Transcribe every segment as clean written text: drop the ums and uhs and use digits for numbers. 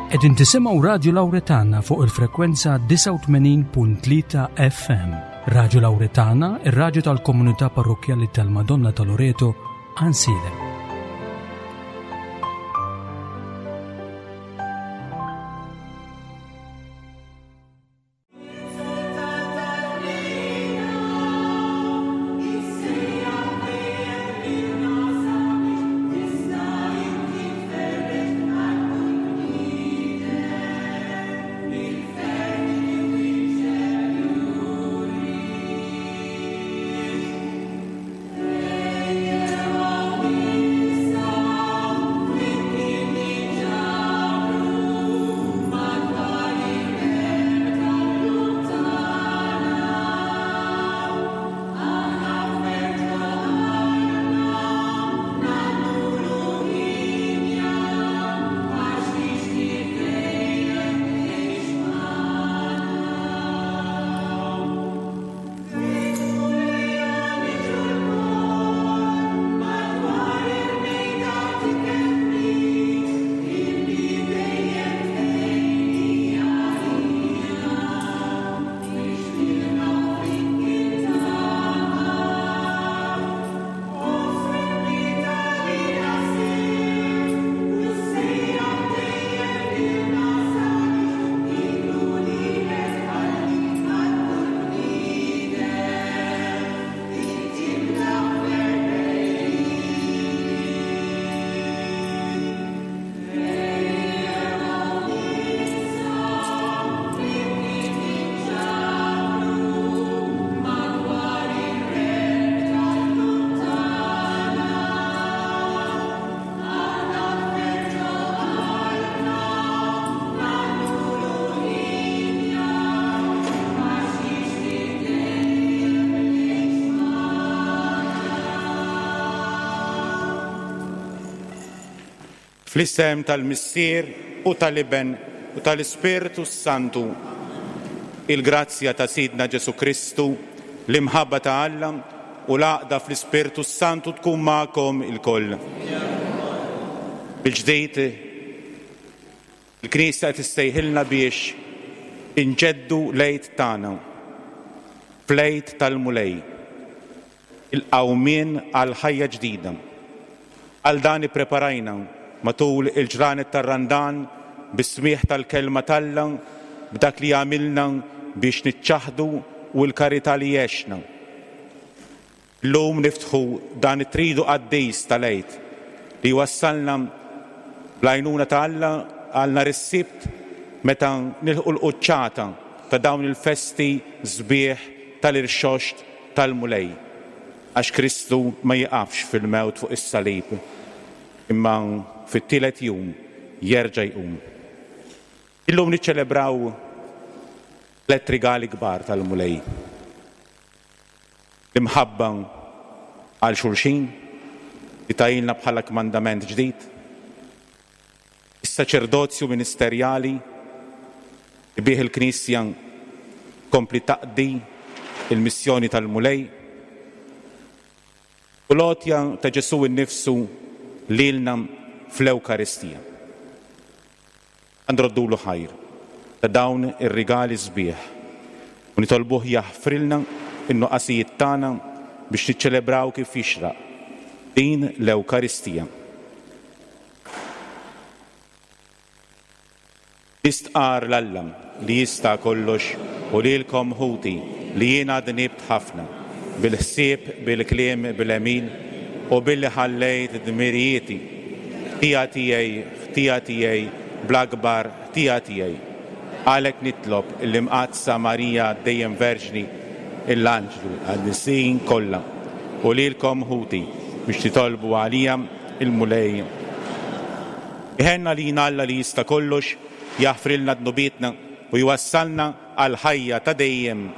Qegħdin tisimgħu Radju Lawretana fuq il-frekwenza 89.3 FM. Radju Lawretana, ir-radju tal-komunità parrokkjali tal-Madonna ta' Loreto, Ansiedem. Fl-isem tal-Missier u tal-Iben u tal-Ispirtu s-Santu, il-grazzja ta' Sidna Ġesù Kristu, l-imħabba ta' Alla u l-għaqda fl-Ispirtu s-Santu tkun magħkom ilkoll. Bil-ġdid, il-Knisja qed issejħilna biex inġeddu l-Għid tagħna fl-Għid tal-Mulej, il-qawmien għal ħajja ġdida. Għal dan ippreparajna matul il-ġranet tar-Randan bis-smigħ tal-Kelma t'Alla, b'dak li għamilna biex niċċaħħdu u l-karità li għexna. Illum niftħu dan it-tridu qaddis tal-Għid li jwassalna bl-għajnuna ta' Alla għal nhar is-Sibt meta nilħqu l-quċċata ta' dawn il-festi sbieħ tal-Irxoxt tal-Mulej. Għax Kristu ma jieqafx fil-mewt fuq is-salib, imma fit-tielet jum jerġa' jqum. Illum niċċelebraw tlett rigali kbar tal-Mulej. L-imħabba għal xulxin, li tagħilna bħala kmandament ġdid, is-saċerdozju ministerjali, li bih il-Knisja tkompli taqdi l-missjoni tal-Mulej, u l-għotja ta' Ġesù nnifsu lilna fl-Ewkaristija. Nroddulu ħajr ta' dawn ir-rigali sbieħ u nitolbuh jaħfrilna n-nuqqasijiet tagħna biex niċċelebraw kif jixraq din l-Ewkaristija. Nistqarr 'l Alla li jista' kollox u lilkom ħuti li jiena dnibt ħafna, bil-ħsieb, bil-kliem, bil-għemil u billi ħallejt dmirijieti. Ħtija tiegħi, ħtija tiegħi, bl-akbar ħtija tiegħi. Għalhekk nitlob lill-Imqaddsa Marija dejjem Verġni, l-anġli, l-qaddisin kollha, u lilkom ħuti biex titolbu għalija l-Mulej. Iħenn għalina Alla li jista' kollox, jaħfrilna dnubietna u jwassalna għall-ħajja ta' dejjem.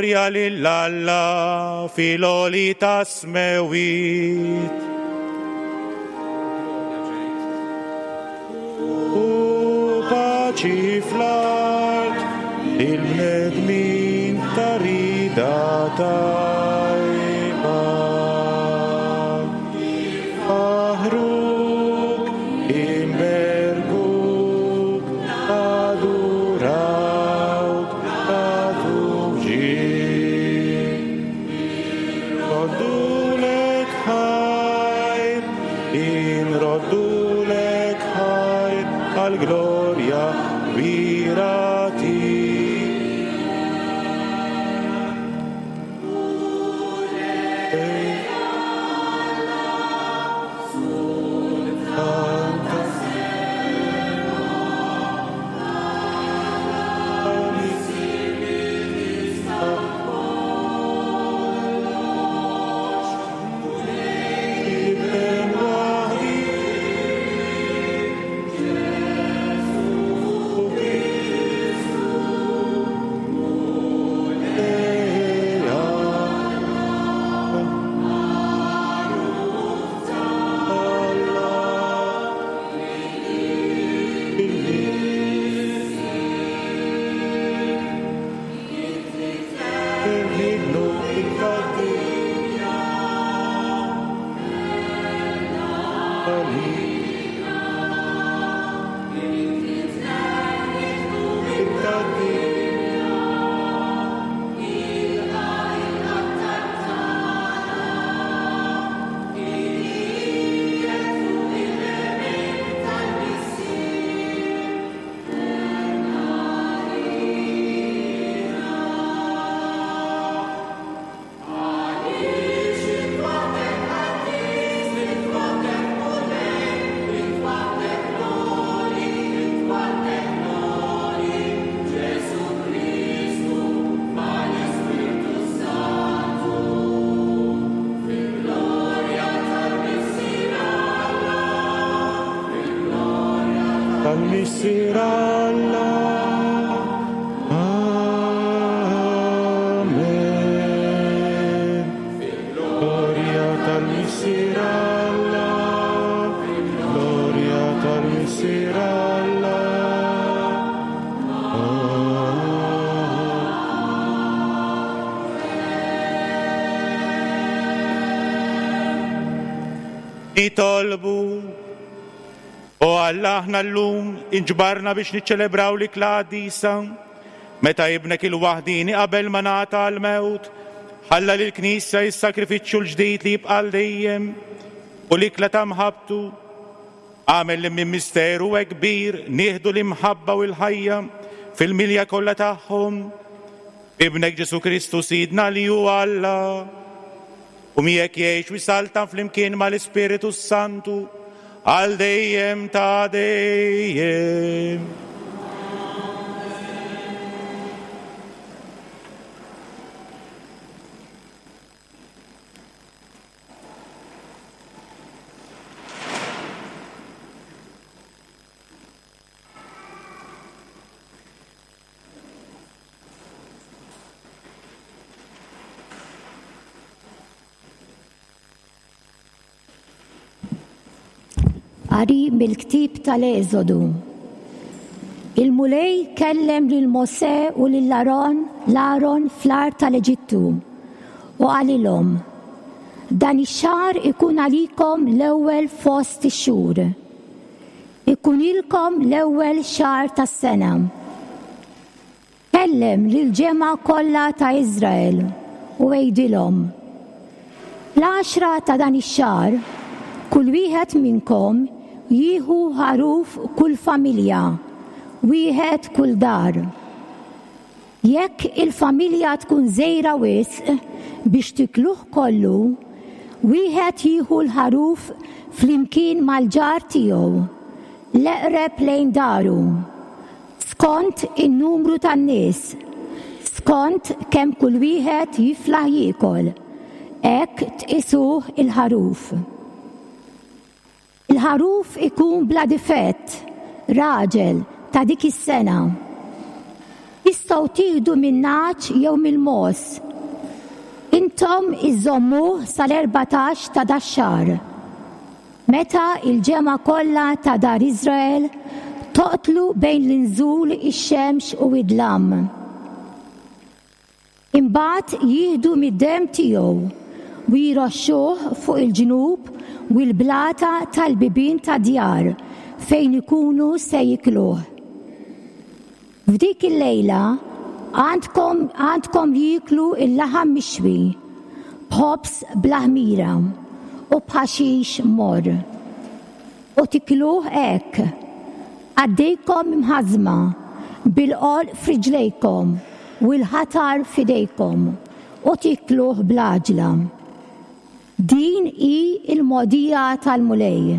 Glorja lil Alla fil-għoli tas-smewwiet. U paċi fl-art il-bnedmin ta' rida tajba. Faħruk, inberkuk, adurawk, nagħtuk ġieħ. Inroddulek ħajr, inroddulek ħajr għall-glorja kbira tiegħek. Tal-Missier Alla. Amen. Gloria tal-Missier Alla. Gloria tal-Missier Alla. Nitolbu. O Alla, aħna llum inġbarna biex niċċelebraw l-ikla qaddisa. Meta Ibnek il-waħdieni qabel ma ngħata għall-mewt, ħalla lill-Knisja is-sagrifiċċju l-ġdid li jibqa' għal dejjem u l-ikla ta' mħabbtu. Agħmel li minn misteru hekk kbir nieħdu l-imħabba u l-ħajja fil-milja kollha tagħhom. B'Ibnek Ġesù Kristu Sidna li hu Alla. U miegħek jgħix u jsaltan flimkien mal-Ispiritu s-Santu għal dejjem ta' dejjem. Qari mill-ktieb tal-Eżodu. Il-Mulej kellem lil Mosè u lil Aron l-Aron fl-art tal-Eġittu u qalilhom, Dan ix-xahar ikun għalikom l-ewwel fost ix-xhur. Ikunilkom l-ewwel xahar tas-sena. Kellem lill-ġemgħa kollha ta' Iżrael u għidilhom, Fl-għaxra ta' dan ix-xahar, kull wieħed minnkom jieħu ħaruf kull familja, wieħed kull dar. Jekk il-familja tkun żgħira wisq biex tikluh kollu, wieħed jieħu l-ħaruf flimkien mal-ġar tiegħu, l-eqreb lejn daru, skont in-numru tan-nies, skont kemm kull wieħed jiflaħ jiekol, hekk tqisuh il-ħaruf. Il-ħaruf ikun bla difett, raġel, ta' dik is-sena. Tistgħu tieħdu min-nagħaġ jew mill-mogħoż. Intom iżżommuh sal-erbatax ta' dax-xahar, meta l-ġemgħa kollha ta' dar Iżrael toqtlu bejn l-inżul ix-xemx u d-dlam. Imbagħad jieħdu mid-demm tiegħu u jroxxuh fuq il-ġnub u l-blata tal-bibien tad-djar fejn ikunu se jikluh. F'dik il-lejla għandkom għandkom jieklu l-laħam mixwi b'ħobż bla ħmira u b'ħaxix morr. U tikluh hekk, qaddejkom imħażżma, bil-għolq f'riġlejkom u l-ħatar f'idejkom, u tikluh bl-għaġla. Din hi l-mogħdija tal-Mulej.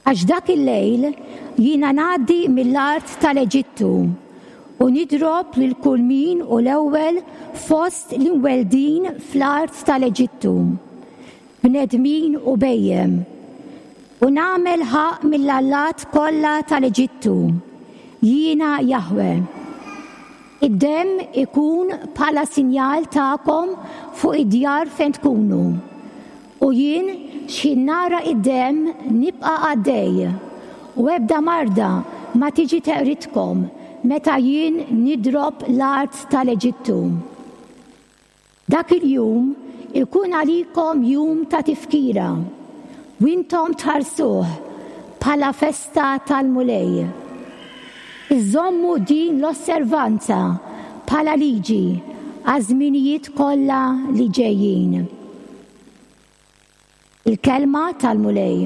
Għax dak il-lejl jiena ngħaddi mill-art tal-Eġittu u nidrob lil kull min hu l-ewwel fost l-imweldin fl-art tal-Eġittu, bnedmin u bhejjem, u nagħmel ħaqq mill-allat kollha tal-Eġittu, jiena Jaħweh. Id-demm ikun bħala sinjal tagħkom fuq id-djar fejn tkunu, u jien x'ħin nara id-demm nibqa' għaddej, u ebda marda ma tiġi teqridkom meta jien nidrob l-art tal-Eġittu. Dak il-jum ikun għalikom jum ta' tifkira, u intom tħarsuh bħala festa tal-Mulej. Iżommu din l-osservanza bħala liġi għaż-żminijiet kollha li ġejjin. Il-Kelma tal-Mulej.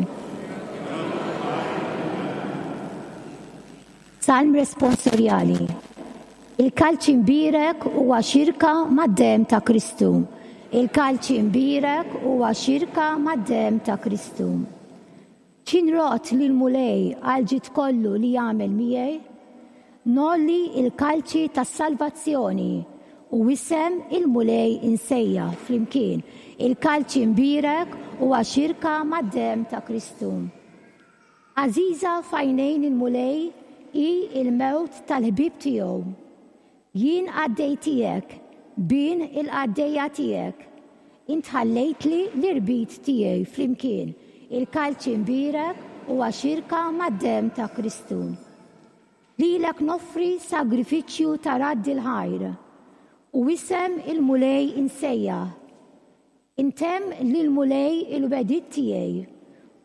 Salm responsorjali. Il-kalċi mbierek huwa xirka mad-demm ta' Kristu. Il-kalċi mbierek huwa xirka mad-demm ta' Kristu. Xi nrodd lill-Mulej għall-ġid kollu li għamel miegħi? Ngħolli l-kalċi tas-salvazzjoni u isem il-Mulej insejjaħ flimkien. Il-kalċi mbierek huwa xirka mad-demm ta' Kristu. Għażiża f'għajnejn il-Mulej hi l-mewt tal-ħbieb tiegħu. Jien qaddej tiegħek, bin il-qaddejja tiegħek. Int ħallejtli l-irbit tiegħi flimkien, il-kalċi mbierek huwa xirka mad-demm ta' Kristu. Lilek noffri sagrifiċċju ta' radd il-ħajr, u isem il-Mulej insejjaħ. Intemm lill-Mulej il-wegħdiet tiegħi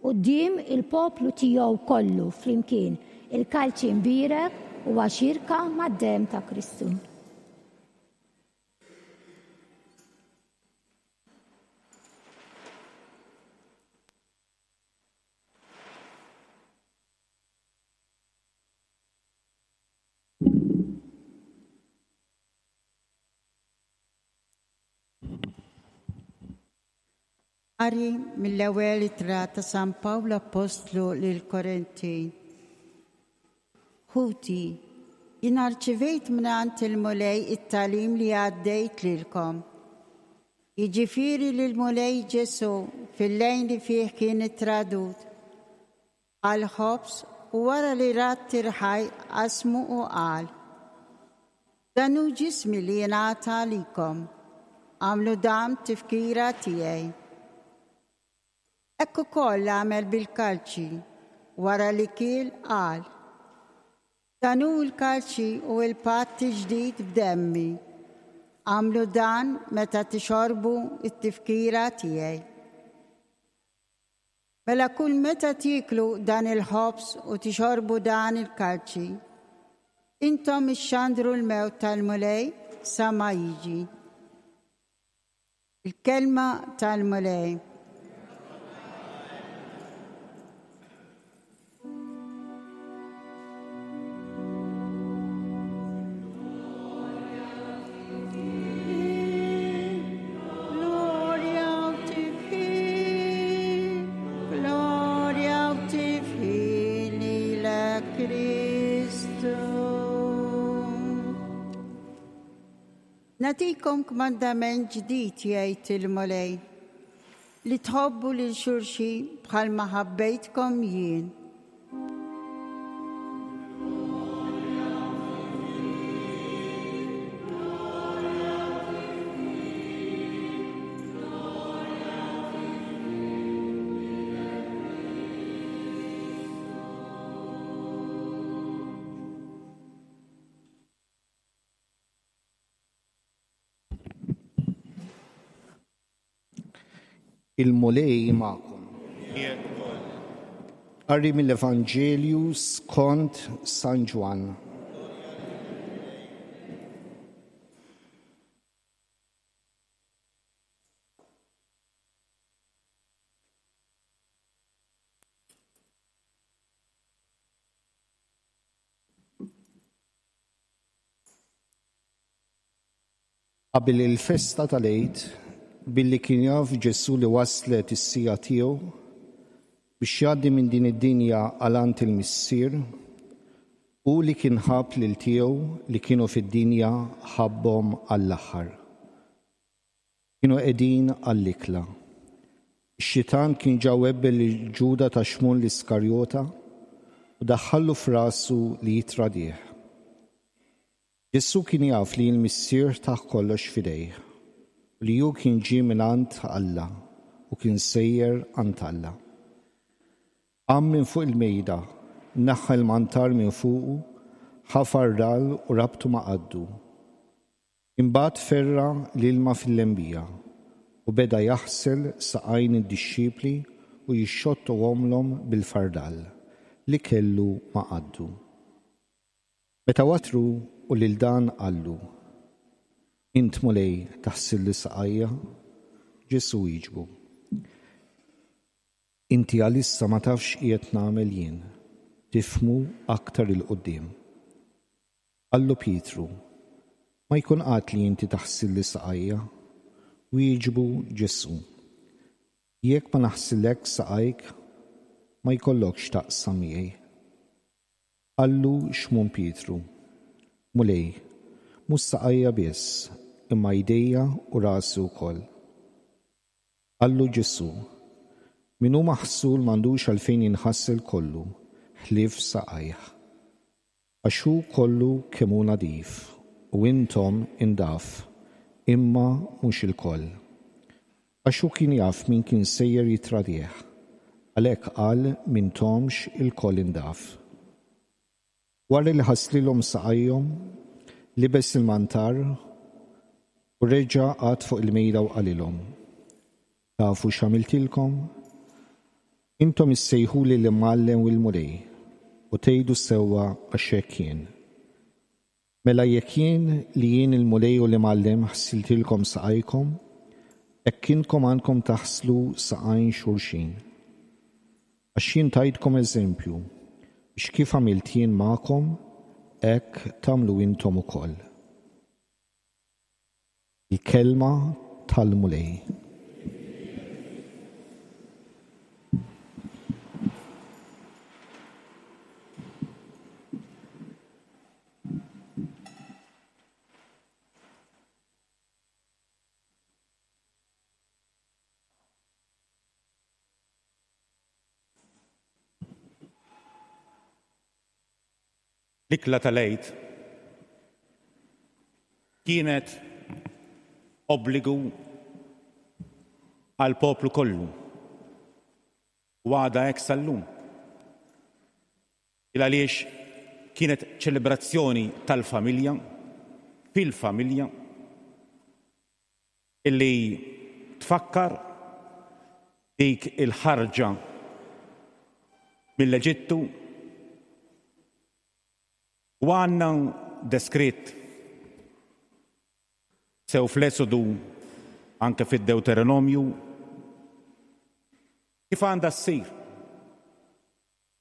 quddiem il-poplu tiegħu kollu flimkien, il-kalċi mbierek huwa xirka mad-demm ta' Kristu. Qari mill-ewwel ittra ta' San Pawl Appostlu lill-Korintin. Ħuti, jien arċivejt mingħand il-Mulej it-tagħlim li għaddejt lilkom. Jiġifieri li l-Mulej Ġesù fil-lejl li fih kien ittradut, ħa l-ħobż u wara li radd il-ħaj qasmu u qal, Dan hu ġismi li jingħata għalikom. Agħmlu dan b'tifkira tiegħi. Hekk ukoll għamel bil-kalċi, wara li kiel qal, Dan hu l-kalċi u l-patt il-ġdid b'demmi. Agħmlu dan meta tixorbu t-tifkira tiegħi. Mela kull meta tieklu dan il-ħobż u tixorbu dan il-kalċi, intom ixxandru l-mewt tal-Mulej sa ma jiġi. Il-Kelma tal-Mulej. Nagħtikom kmandament ġdid jgħid il-Mulej, li tħobbu lil xulxin bħalma ħabbejtkom jien. Il-Mulej magħkom. Qari mill-Evanġelju skont San Ġwann. Qabel il-festa tal-Għid, billi kien jaf Ġesù li waslet is-siegħa tiegħu biex jgħaddi minn din id-dinja għal għand il-Missier, hu li kien ħabb lil tiegħu li kienu fid-dinja ħabbhom għall-aħħar. Kienu qegħdin għall-ikla. Ix-xitan kien ġa webbel lil Ġuda ta' Xmun l-Iskarjota u daħħallu f'rasu li jittradih. Ġesù kien jaf li l-Missier tah kollox f'idejh, u li hu kien ġie mingħand Alla u kien sejjer għand Alla. Qam minn fuq il-mejda, neħħa l-mantar minn fuqu, ħa fardal u rabtu ma' qaddu. Imbagħad ferra' l-ilma fil-lembija u beda jaħsel saqajn id-dixxipli u jixxottohomlhom bil-fardal li kellu ma' qaddu. Meta watru u lil dan qallu, Int, Mulej, taħsilli saqajja? Ġesù wieġbu, Inti għalissa ma tafx x'qiegħed nagħmel jien, tifhmu aktar 'il quddiem. Qallu Pietru, Ma jkun qatt li inti taħsilli saqajja. Wieġbu Ġesù, Jekk ma naħsillekx saqajk, ma jkollokx x'taqsam miegħi. Qallu Xmun Pietru, Mulej, mhux saqajja biss, imma jdejja u rasi wkoll. Qallu Ġesù, Min hu maħsul m'għandux għalfejn jinħasel kollu, ħlief saqajh. Għax hu kollu kemm hu nadif, u intom indaf, imma mhux ilkoll. Għax hu kien jaf min kien sejjer jittradih, għalhekk qal m'intomx ilkoll indaf. Wara li ħaslilhom saqajhom, libes il-mantar u reġa' qagħad fuq il-mejda u qalilhom, Tafu x'għamiltilkom? Intom issejħuli l-Imgħallem u l-Mulej, u tgħidu sewwa għax hekk jien. Mela jekk jien, li jien il-Mulej u l-Imgħallem, ħsiltilkom saqajkom, hekk intkom għandkom taħslu saqajn xulxin. Għax jien tajtkom eżempju, biex kif għamilt jien magħkom, hekk tagħmlu intom ukoll. Il-Kelma tal-Mulej. L-ikla tal-Għid kienet obbligu għall-poplu kollu u għadha hekk sal-lum. Il għaliex kienet ċelebrazzjoni tal-familja, fil-familja, illi tfakkar dik il-ħarġa mill-Eġittu u għandna deskritt sew fl-Esodu anke fid-Dewteronomju kif għandha ssir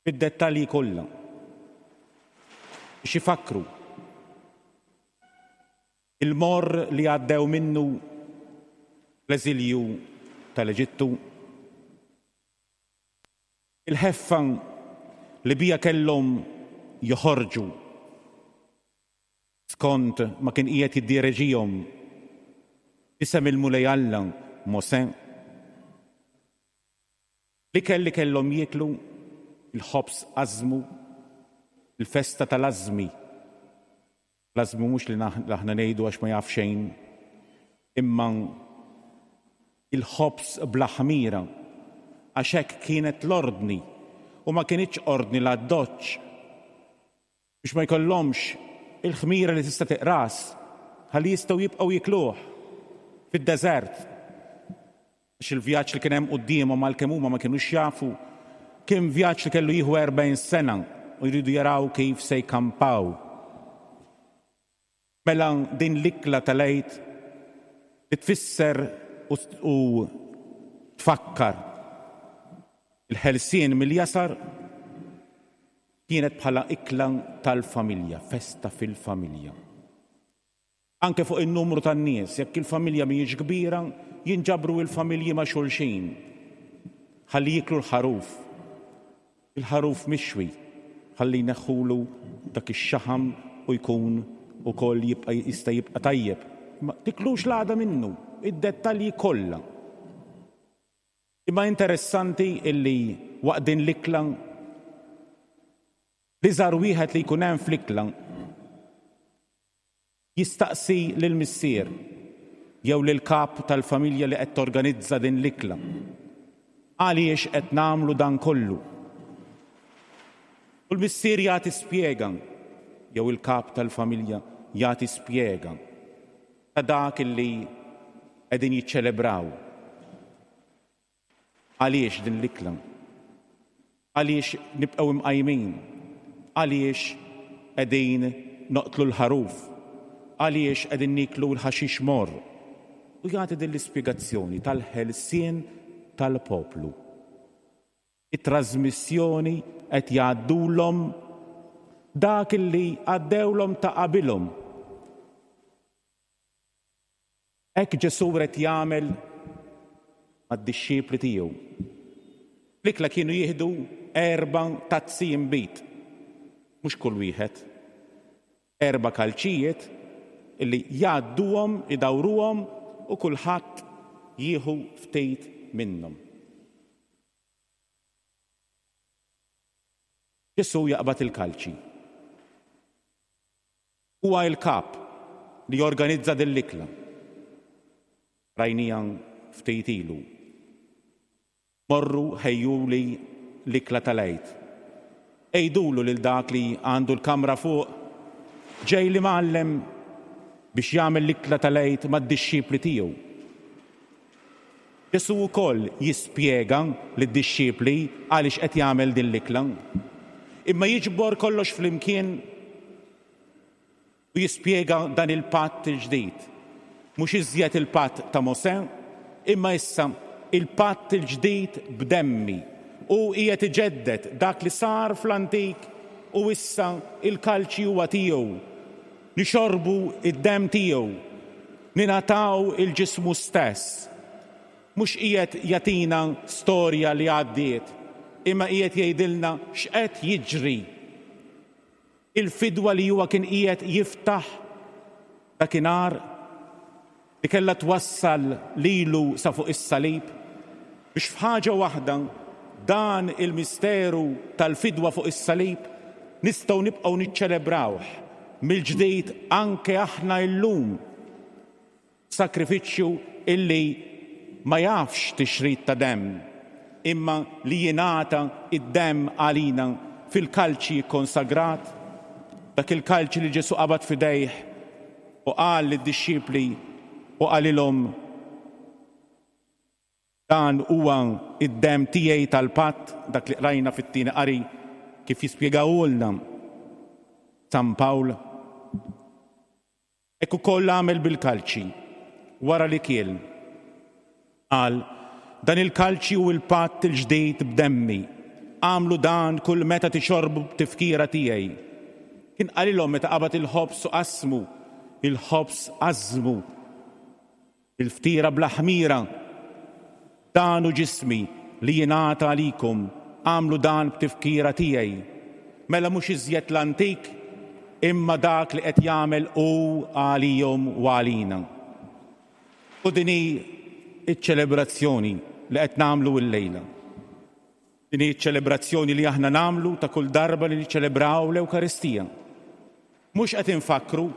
fid-dettalji kollha biex ifakkru il-morr li għaddew minnu fl-eżilju tal-Eġittu, il-ħeffa li biha kellhom joħorġu skont ma kien qiegħed jiddireġihom f'isem il-Mulej Alla Mosè. L-ikel li kellhom jieklu, il-ħobż ażmu, il-festa tal-ażmi. L-ażmu mhux li aħna ngħidu għax ma jaf xejn, imma il-ħobż bla ħmira, għax hekk kienet l-ordni u ma kinitx ordni l-addoċċ biex ma jkollhomx il-ħmira li tista' tiqras ħalli jistgħu jibqgħu jikluh fid-deżert. Għax il-vjaġġ li kien hemm quddiemhom għalkemm huma ma kinux jafu, kien vjaġġ li kellu jieħu 40 sena u jridu jaraw kif se jkampaw. Mela din l-ikla tal-Għid li tfisser u tfakkar il-ħelsien mill-jasar kienet bħala ikla tal-familja, festa fil-familja. Anke fuq in-numru tan-nies, jekk il-familja mhijiex kbira, jinġabru il-familji ma' xulxin ħalli jieklu l-ħaruf. Il-ħaruf mixwi ħalli jneħħulu dak ix-xaħam u jkun ukoll jibqa' jista' jibqa' tajjeb. Imma tiklux l-għada minnu, id-dettalji kollha. Imma interessanti illi waqt din l-ikla l-iżgħar wieħed li jkun hemm fl-ikla Jistaqsi lill-missier jew lill-kap tal-familja li qed torganizza din l-ikla, Għaliex qed nagħmlu dan kollu? U l-missier jagħti spjega, jew il-kap tal-familja jagħti spjega ta' dak li qegħdin jiċċelebraw. Għaliex din l-ikla? Għaliex nibqgħu imqajmin? Għaliex qegħdin noqtlu l-ħaruf? Għaliex qegħdin nieklu l-ħaxix morr? U jagħti din l-ispjegazzjoni tal-ħelsien tal-poplu. It-trażmissjoni qed jgħaddulhom dak li għaddewlhom ta' qabilhom. Hekk Ġesù ried jagħmel mad-dixxipli tiegħu. Fl-ikla kienu jieħdu erba' tazzi inbid, mhux kull wieħed. Erba' kalċijiet illi jgħadduhom, idawruhom u kulħadd jieħu ftit minnhom. Ġesù jaqbad il-kalċi. Huwa il-kap li jorganizza din l-ikla. Rajniha ftit ilu. Morru ħejjuli l-ikla tal-Għid. Għidulu lil dak li għandu l-kamra fuq, ġej l-Imgħallem biex jagħmel l-ikla tal-Għid mad-dixxipli tiegħu. Ġesù wkoll jispjega lid-dixxipli għaliex qed jagħmel din l-ikla. Imma jiġbor kollox flimkien u jispjega dan il-patt il-ġdid. Mhux iżjed il-patt ta' Mosè, imma issa il-patt il-ġdid b'demmi. Hu qiegħed iġedded dak li sar fl-antik u issa il-kalċi huwa tiegħu. Nixorbu d-demm tiegħu, ningħataw il-ġismu stess. Mhux qiegħed jagħtina storja li għaddiet, imma qiegħed jgħidilna x'qed jiġri. Il-fidwa li huwa kien qiegħed jiftaħ dakinhar li kellha twassal lilu sa fuq is-salib, biex f'ħaġa waħda dan il-misteru tal-fidwa fuq is-salib nistgħu nibqgħu niċċelebrawh mill-ġdid anke aħna illum. Sagrifiċċju illi ma jafx tixrid ta' demm, imma li jingħata d-demm għalina fil-kalċi kkonsagrat, dak il-kalċi li Ġesù qabad f'idejh u qal lid-dixxipli u qalilhom, Dan huwa d-demm tiegħi tal-patt, dak li qrajna fit-tieni qari kif jispjegahulna San Pawl. Hekk ukoll għamel bil-kalċi, wara li kiel. Qal, Dan il-kalċi hu l-patt il-ġdid b'demmi. Agħmlu dan kull meta tixorbu b'tifkira tiegħi. Kien qalilhom meta qabad il-ħobż u qasmu, il-ħobż qażżmu. Il-ftira bla ħmira. Dan hu ġismi li jingħata għalikom, agħmlu dan b'tifkira tiegħi. Mela mhux iżjed l-antik, imma dak li qed jagħmel hu għalihom u għalina. U din hi ċ-ċelebrazzjoni li qed nagħmlu illejla. Din hi ċ-ċelebrazzjoni li aħna nagħmlu ta' kull darba li niċċelebraw l-Ewkaristija. Mhux qed infakkru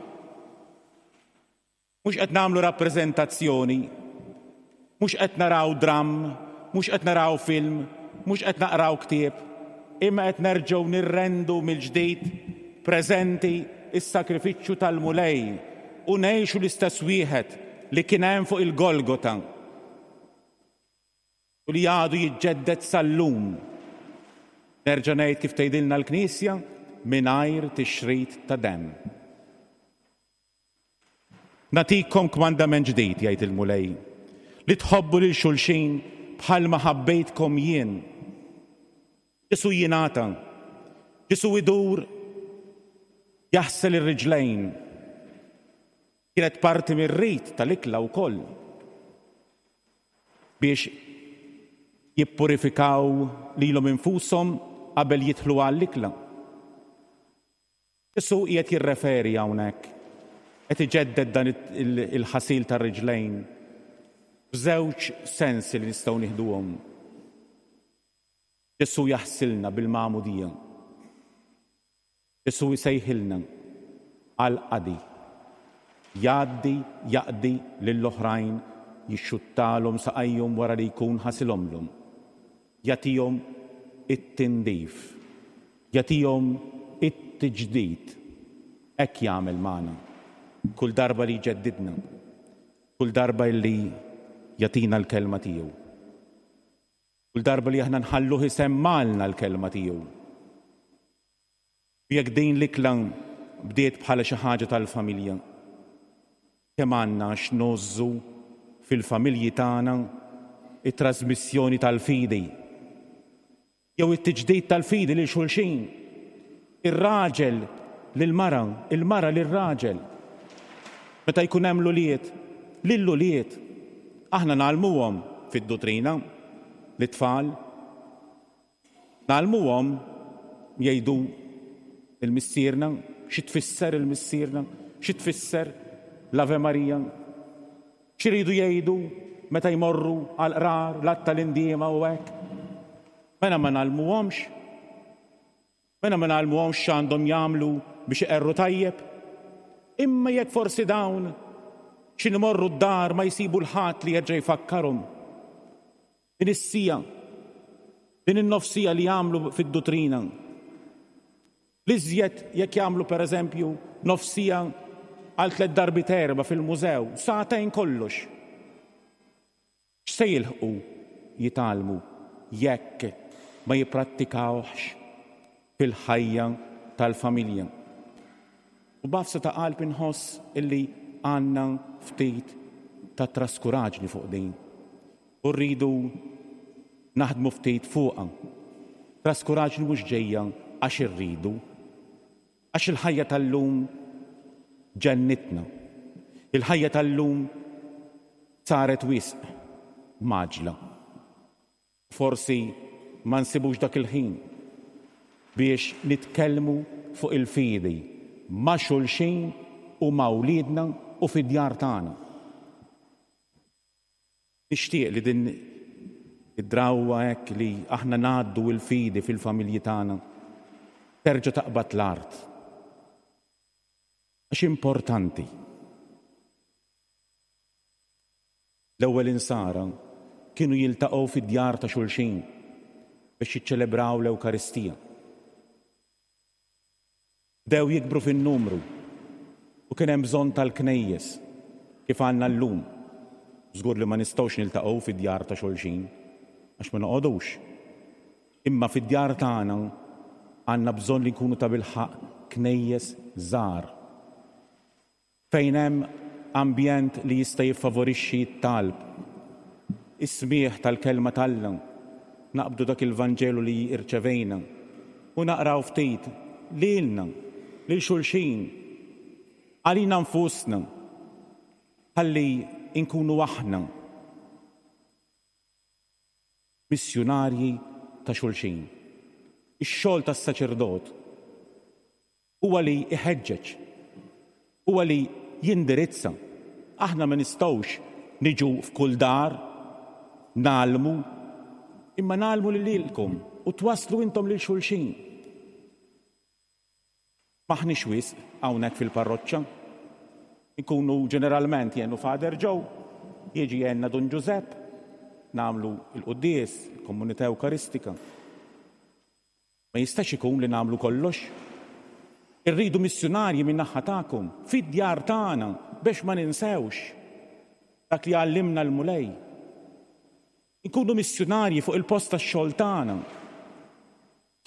Mhux qed nagħmlu rappreżentazzjoni, mhux qed naraw dramm, mhux qed naraw film, mhux qed naqraw ktieb, imma qed nerġgħu nirrendu mill-ġdid preżenti s-sagrifiċċju tal-Mulej u ngħixu l-istess wieħed li kien hemm fuq il-Golgota. U li għadu jiġġedded sal-lum. Nerġa' ngħid kif tgħidilna l-Knisja, mingħajr tixrid ta' demm. Nagħtikom kmandament ġdid, jgħid il-Mulej, li tħobbu lil xulxin bħalma ħabbejtkom jien. Ġesù jingħata. Ġesù idur jaħsel ir-riġlejn. Kienet parti mir-rit tal-ikla wkoll biex jippurifikaw lilhom infushom qabel jidħlu għall-ikla. Ġesù qiegħed jirreferi hawnhekk, qed iġedded dan il-ħasil tar-riġlejn f'żewġ sensi li nistgħu nieħduhom. Ġesù jaħsilna bil-magħmudija. Ġesù jsejħilna għall-qadi. Jgħaddi jaqdi lill-oħrajn jixxuttalhom saqajhom wara li jkun ħasilhomlhom. Jagħtihom it-tindif. Jagħtihom it-tiġdid. Hekk jagħmel magħna. Kull darba li jġeddidna. Kull darba li jagħtina l-kelma tiegħu. Kull darba li aħna nħalluh isemmgħalna l-kelma tiegħu. U jekk din l-ikla bdiet bħala xi ħaġa tal-familja, kemm għandna x'ngħożżu fil-familji tagħna t-trasmissjoni tal-fidi jew it-tiġdid tal-fidi lil xulxin, ir-raġel lill-mara, il-mara lir-raġel. Meta jkun hemm l-ulied, lill-ulied. Aħna ngħallmuhom fid-dutrina lit-tfal. Ngħallmuhom jgħidu il-Missierna, xi tfisser il-Missierna, xi tfisser l-Ave Maria, x'iridu jgħidu meta jmorru għall-qrar, l-Att tal-Indiema u hekk. Mela ma ngħallmuhomx? Mela ma ngħallmuhomx x'għandhom jagħmlu biex iqerru tajjeb? Imma jekk forsi dawn xi nimorru d-dar ma jsibu l-ħadd li jerġa' jfakkarhom. Din is-siegħa, din in-nofs siegħa li jagħmlu fid-dutrina. L-iżjed jekk jagħmlu pereżempju nofs siegħa għal tlett darbiet erba' fil-mużew, sagħtejn kollox. X'se jilħqu jitgħallmu jekk ma jipprattikawhx fil-ħajja tal-familja? U b'għafsa ta' qalb inħoss illi għandna ftit ta' traskuraġni fuq din. U rridu naħdmu ftit fuqha. Traskuraġni mhux ġejja għax irridu. Għax il-ħajja tal-lum ġennitna. Il-ħajja tal-lum saret wisq mgħaġġla. Forsi ma nsibux dak il-ħin biex nitkellmu fuq il-fidi ma' xulxin u ma' wliedna u fid-djar tagħna. Nixtieq li din id-drawwa hekk li aħna ngħaddu l-fidi fil-familji tagħna terġa' taqbad l-art. Għax importanti. L-ewwel insara kienu jiltaqgħu fid-djar ta' xulxin biex jiċċelebraw l-Ewkaristija. Bdew jikbru fin-numru u kien hemm bżonn tal-knejjes kif għandna llum. Żgur li ma nistgħux niltaqgħu fid-djar ta' xulxin għax ma noqogħdux. Imma fid-djar tagħna għandna bżonn li nkunu tabilħaqq knejjes żgħar. Fejn hemm ambjent li jista' jiffavorixxi t-talb, is-smigħ tal-Kelma t'Alla, naqbdu dak il-Vanġelu li rċevejna u naqraw ftit lilna, lil xulxin, għalina nfusna, ħalli nkunu aħna missjunarji ta' xulxin. Ix-xogħol tas-saċerdot Huwa li jħeġġeġ. Huwa li jindirizza. Aħna ma nistgħux niġu f'kull dar ngħallmu, imma ngħallmu lilkom u twasslu intom lil xulxin. M'aħniex wisq hawnhekk fil-parroċċa. Inkunu ġeneralment jien u Father Joe, jiġi jgħinna Dun Ġużepp, nagħmlu l-quddies, il-komunità Ewkaristika. Ma jistax ikun li nagħmlu kollox. Irridu missjunarji min-naħa tagħkom, fid-djar tagħna, biex ma ninsewx dak li għallimna l-Mulej. Inkunu missjunarji fuq il-post tax-xogħol tagħna.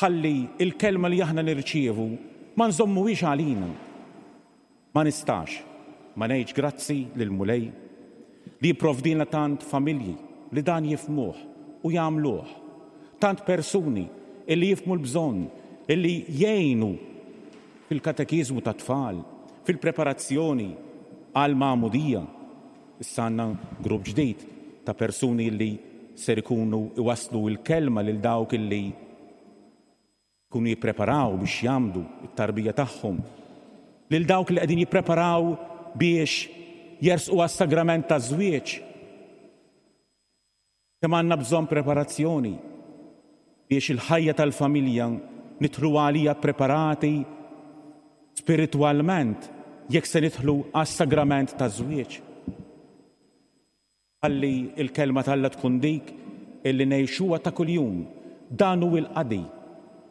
Ħalli l-kelma li aħna nirċievu ma nżommuhiex għalina. Ma nistax ma ngħidx grazzi lill-Mulej li jipprovdilna tant familji li dan jifhmuh u jagħmluh, tant persuni illi jifhmu l-bżonn illi jgħinu fil-katekiżmu tat-tfal, fil-preparazzjoni għall-magħmudija. Issa għandna grupp ġdid ta' persuni li ser ikunu iwasslu l-kelma lil dawk illi jkunu jippreparaw biex jgħammdu t-tarbija tagħhom, lil dawk li qegħdin jippreparaw biex jersqu għas-sagrament taż-żwieġ. Kemm għandna bżonn preparazzjoni biex il-ħajja tal-familja nidħlu għaliha ppreparati spiritwalment jekk se nidħlu għas-sagrament taż-żwieġ. Ħalli l-Kelma t'Alla tkun dik illi ngħixuha ta' kuljum. Dan hu l-qadi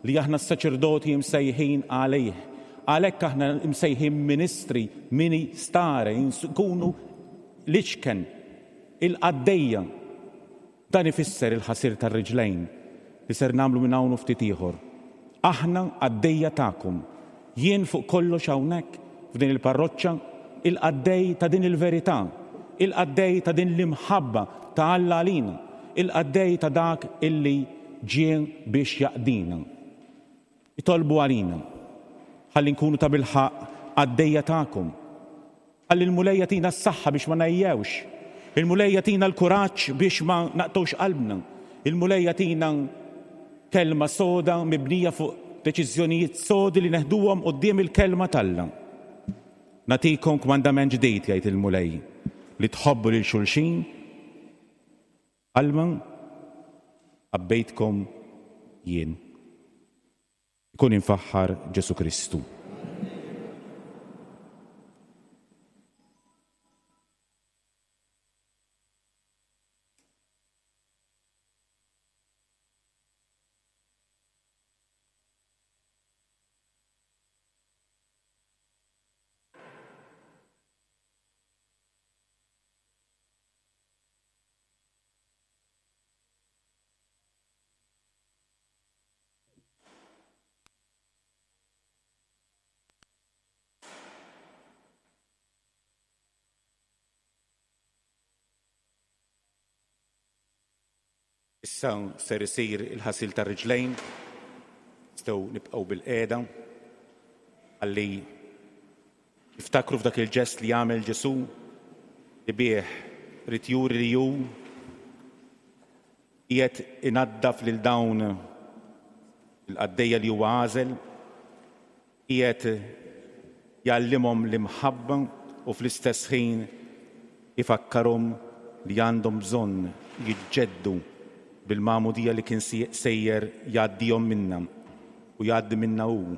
li aħna s-saċerdoti msejħin għalih. Għalhekk aħna msejħin ministri, mini stare, nkunu l-iċken, il-qaddejja. Dan ifisser il-ħasir tar-riġlejn li ser nagħmlu minn hawn u ftit ieħor. Aħna qaddejja tagħkom. Jien fuq kollox hawnhekk f'din il-parroċċa, il-qaddej ta' din il-verità, il-qaddej ta' din l-imħabba ta' Alla għalina, il-qaddej ta' dak illi ġie biex jaqdina. Itolbu għalina, ħalli nkunu tabilħaqq qaddejja tagħkom. Ħalli l-Mulej jagħtina s-saħħa biex ma ngħejjewx. Il-Mulej jagħtina l-kuraġġ biex ma naqtgħux qalbna. Il-Mulej jagħtina kelma soda mibnija fuq deċiżjonijiet sodi li neħduhom quddiem il-kelma t'Alla. Nagħtikom kmandament ġdid, jgħid il-Mulej, li tħobbu lil xulxin bħalma ħabbejtkom jien. Ikun imfaħħar Ġesù Kristu. Issa ser isir il-ħasil tar-riġlejn, nistgħu nibqgħu bilqiegħda ħalli niftakru f'dak il-ġest li għamel Ġesù li bih ried juri li hu Qiegħed inaddaf lil dawn il-qaddejja li huwa għażel, qiegħed jgħallimhom l-imħabba u fl-istess ħin ifakkarhom li għandhom bżonn jiġġeddu bil-magħmudija li kien sejjer jgħaddihom minnha u jgħaddi minnha hu,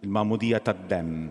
il-magħmudija tad-demm.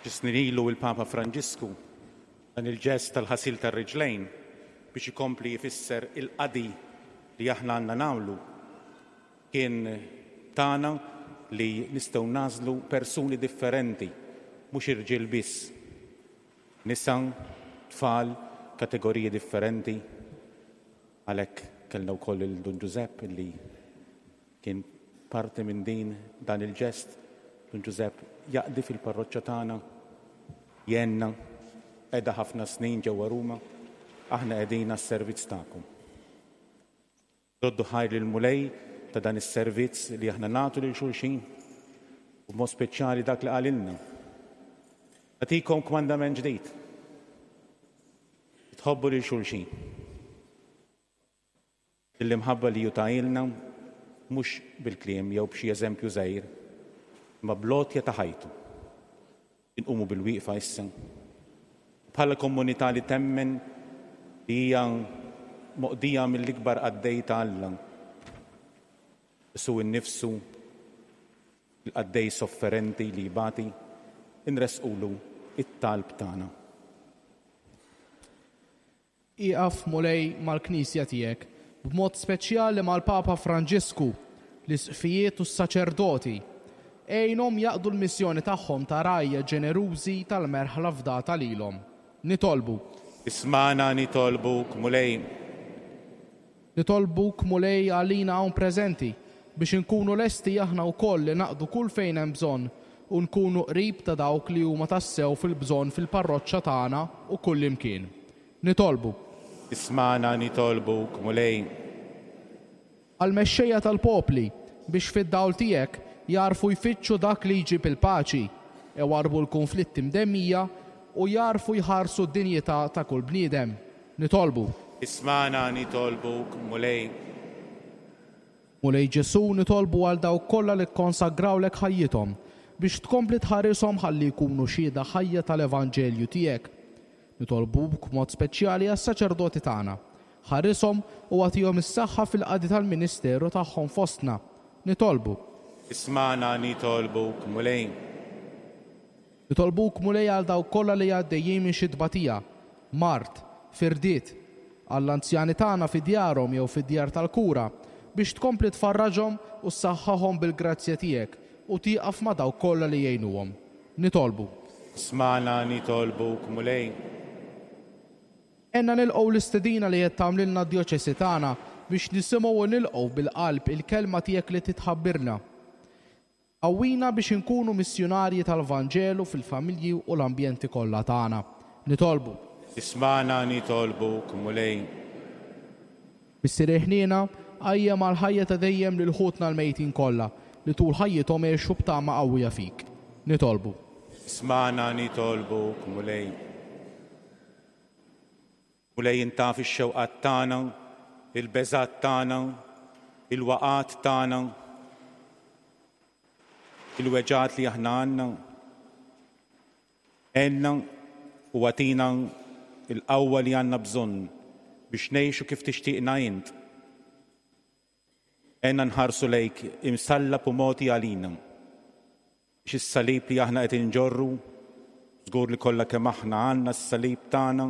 Xi snin ilu il-Papa Franġisku dan il-ġest tal-ħasil tar-riġlejn biex ikompli jfisser il-qadi li aħna għandna nagħmlu kien tana li nistgħu nagħżlu persuni differenti, mhux irġiel biss. Nisa, tfal, kategoriji differenti. Għalhekk kellna wkoll lil Dun Ġużepp li kien parti minn din dan il-ġest. Dun Ġużepp jaqdi fil-parroċċa tagħna, jgħinna, qeda ħafna snin ġewwa Ruma, aħna qegħdin għas-servizz tagħkom. Roddu ħajr lill-Mulej ta' dan is-servizz li aħna nagħtu lil xulxin u b'mod speċjali dak li qalilna. Nagħtikom kmandament ġdid. Tħobbu lil xulxin. L-imħabba li hu tahielna mhux bil-kliem jew b'xi eżempju żgħir, imma bl-għotja ta' ħajtu. Inqumu bil-wieqfa issa. Bħala komunità li temmen li hija moqdija mill-ikbar qaddej ta' Alla, Ġesù innifsu, il-qaddej sofferenti li jbati, inressqulu t-talb tagħna. Ieqaf, Mulej, mal-Knisja tiegħek, b'mod speċjali mal-Papa Franġisku, l-Isqfijiet u s-saċerdoti. Għinhom jaqdu l-missjoni tagħhom ta' rgħajja ġenerużi tal-merħla fdata lilhom. Nitolbu. Ismagħna nitolbuk, Mulej. Nitolbuk, Mulej, għalina hawn preżenti, biex inkunu lesti aħna wkoll li naqdu kull fejn hemm bżonn u nkunu qrib ta' dawk li huma tassew fil-bżonn fil-parroċċa tagħna u kullimkien. Nitolbu. Ismagħna nitolbuk, Mulej. Għall-mexxejja tal-popli, biex fid-dawl tiegħek jagħrfu jfittxu dak li jġib il-paċi, iwarrbu l-kunflitti mdemmija u jagħrfu jħarsu d-dinjità ta' kull bniedem. Nitolbu. Ismagħna nitolbuk, Mulej. Mulej Ġesù, nitolbu għal dawk kollha li kkonsagrawlek ħajjithom, biex tkompli tħarishom ħalli jkunu xhieda ħajja tal-Evanġelju tiegħek. Nitolbuk b'mod speċjali għas-saċerdoti tagħna. Ħarishom u agħtihom is-saħħa fil-qadi tal-ministeru tagħhom fostna. Nitolbu. Ismagħna nitolbuk, Mulej. Nitolbuk, Mulej, għal dawk kollha li għaddejjin minn xi tbatija, mard, firdiet, għall-anzjani tagħna fi djarhom jew fid-djar tal-kura, biex tkompli tfarraġhom u ssaħħaħhom bil-grazzja tiegħek u tieqaf ma' dawk kollha li jgħinuhom. Nitolbu. Ismagħna nitolbuk, Mulej. Għinna nilqgħu l-istedina li qed tagħmlilna d-djoċesi tagħna biex nisimgħu u nilqgħu bil-qalb il-kelma tiegħek li titħabbirna. Qawwina biex inkunu missjunarji tal-Vanġelu fil-familji u l-ambjenti kollha tagħna. Nitolbu. Ismagħna nitolbuk, Mulej. Missier il-ħniena, qajjem għall-ħajja ta' dejjem lil ħutna l-mejtin kollha, li tul ħajjithom għexu b'tama qawwija fik. Nitolbu. Ismagħna nitolbuk, Mulej. Mulej int taf ix-xewqat tagħna, il-beżgħat tagħna, il-waqgħat tagħna, il-weġgħat li aħna għandna. Għenna u agħtina l-qawwa li għandna bżonn biex ngħixu kif tixtieqna int. Għenna nħarsu lejk imsallab u mogħti għalina. Biex is-salib li aħna qed inġorru, żgur li kollha kemm aħna għandna s-salib tagħna,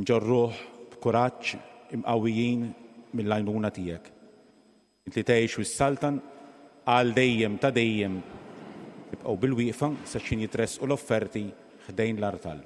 nġorruh b'kuraġġ imqawwijin mill-għajnuna tiegħek. Int li tgħix u ssaltan għal dejjem ta' dejjem. Ibqgħu bilwieqfa sa x'ħin jitressqu l-offerti ħdejn l-artal.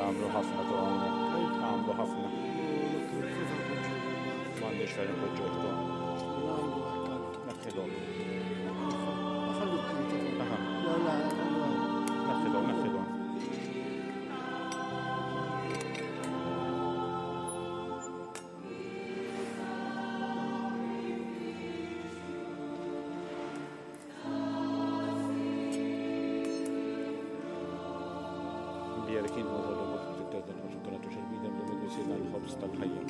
Għamlu ħafna tu hawnhekk. Għamlu ħafna. M'għandniex fejn inpoġġuh tu. Neħħilhom. Neħħilhom, neħħilhom. Tal-ħajja.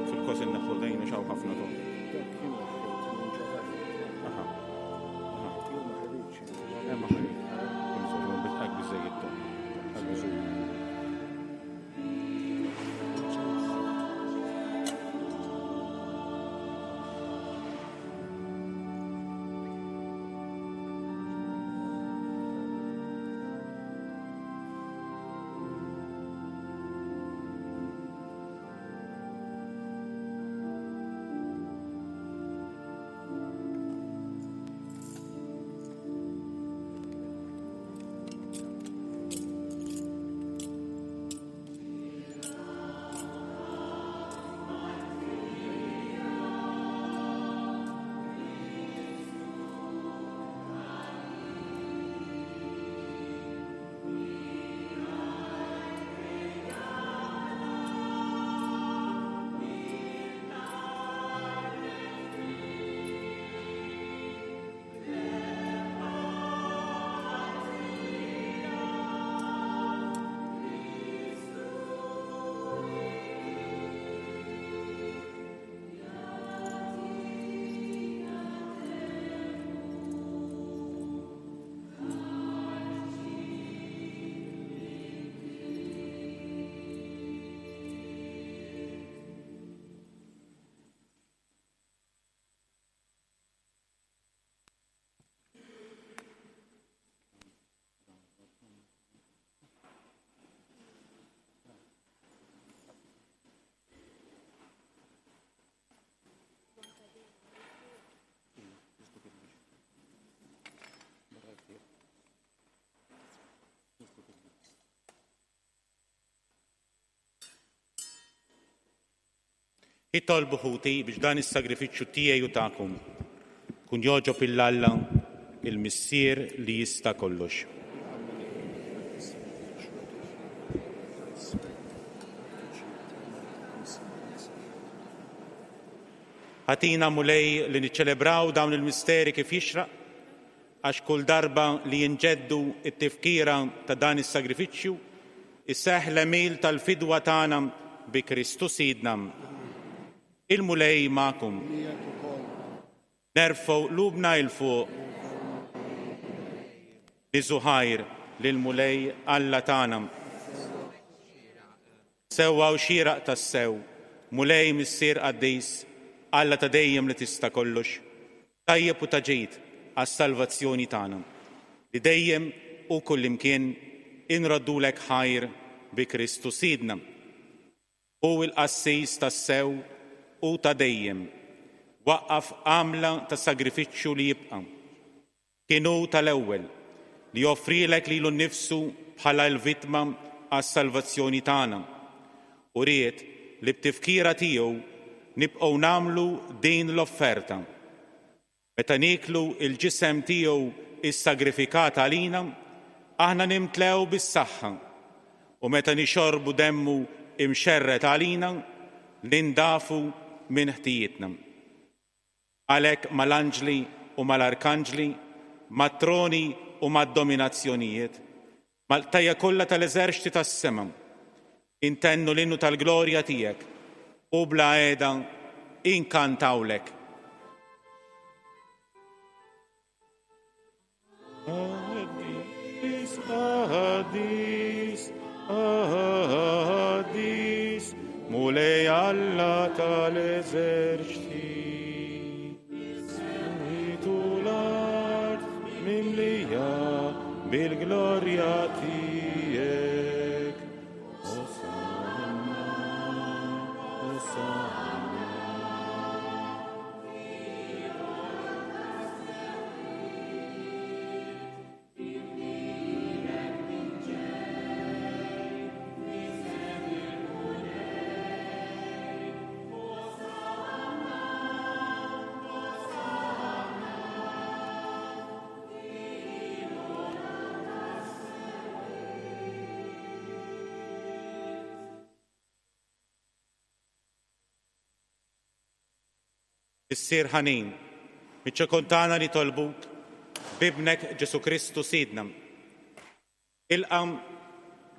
Fil-kos inneħħu dejn xaw ħafna tu. Ma ħarid. Biżejjed tu. Itolbu ħuti biex dan is-sagrifiċċju tiegħi u tagħkom kun jogħġob il Alla il-Missier li jista' kollox. Ħatina Mulej li niċċelebraw dawn il-misteri kif jixraq, għax kull darba li jinġeddu t-tifkira ta' dan is-sagrifiċċju, iseħħ l-għemil tal-fidwa tagħna bi Kristu Sidna. Il-Mulej magħkom. Nerfgħu qlubna 'il fuq. Niżu ħajr lill-Mulej Alla tagħna. Sewwa u xieraq tassew, Mulej Missier qaddis, Alla ta' dejjem li tista' kollox, tajjeb u ta' ġid għas-salvazzjoni tagħna, li dejjem u kullimkien inroddulek ħajr bi Kristu Sidna. Hu l-qassis tassew u ta' dejjem, waqqaf għamla ta' sagrifiċċju li jibqa'. Kien hu tal-ewwel li offrielek lilu nnifsu bħala l-vittma għas-salvazzjoni tagħna u ried li b'tifkira tiegħu nibqgħu nagħmlu din l-offerta. Meta nieklu l-ġisem tiegħu ssagrifikat għalina, aħna nimtlew bis-saħħa, u meta nixorbu demmu imxerred għalina, nindafu minn ħtijietna. Għalhekk mal-anġli u mal-arkanġli, mat-troni u mad-dominazzjonijiet, mal-qtajja' kollha tal-eżerċti tas-sema, intennu l-innu tal-glorja tiegħek u bla qiegħda inkantawlek. Qaddis, Qaddis, Mulej Alla tal-eżerċti. Is-smewwiet u l-art mimlija bil-glorja tiegħek. Osanna, Osanna. Missier ħanin, miċ-ċokon tagħna nitolbuk b'Ibnek Ġesù Kristu Sidna. Ilqa'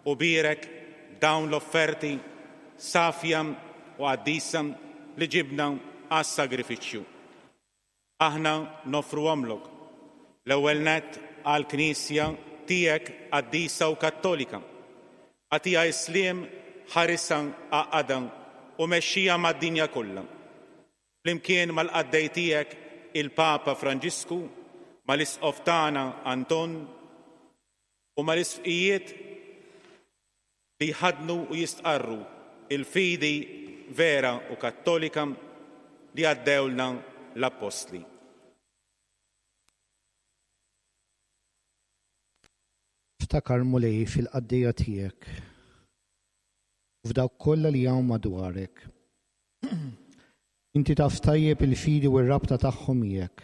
u bierek dawn l-offerti safja u qaddisa li ġibna għas-sagrifiċċju. Aħna noffruhomlok, l-ewwel nett għall-Knisja tiegħek qaddisa u kattolika. Agħtiha s-sliem, ħarisha, għaqqadha u mexxiha mad-dinja kollha. Flimkien mal-qaddej tiegħek il-Papa Franġisku, mal-Isqof tagħna Anton u mal-isqfijiet li jħaddnu u jistqarru l-fidi vera u kattolika li għaddewlna l-Appostli. Ftakar, Mulej, fil-qaddejja tiegħek u f'dawk kollha li hawn madwarek. Inti taf tajjeb il-fidi u r-rabta tagħhom miegħek.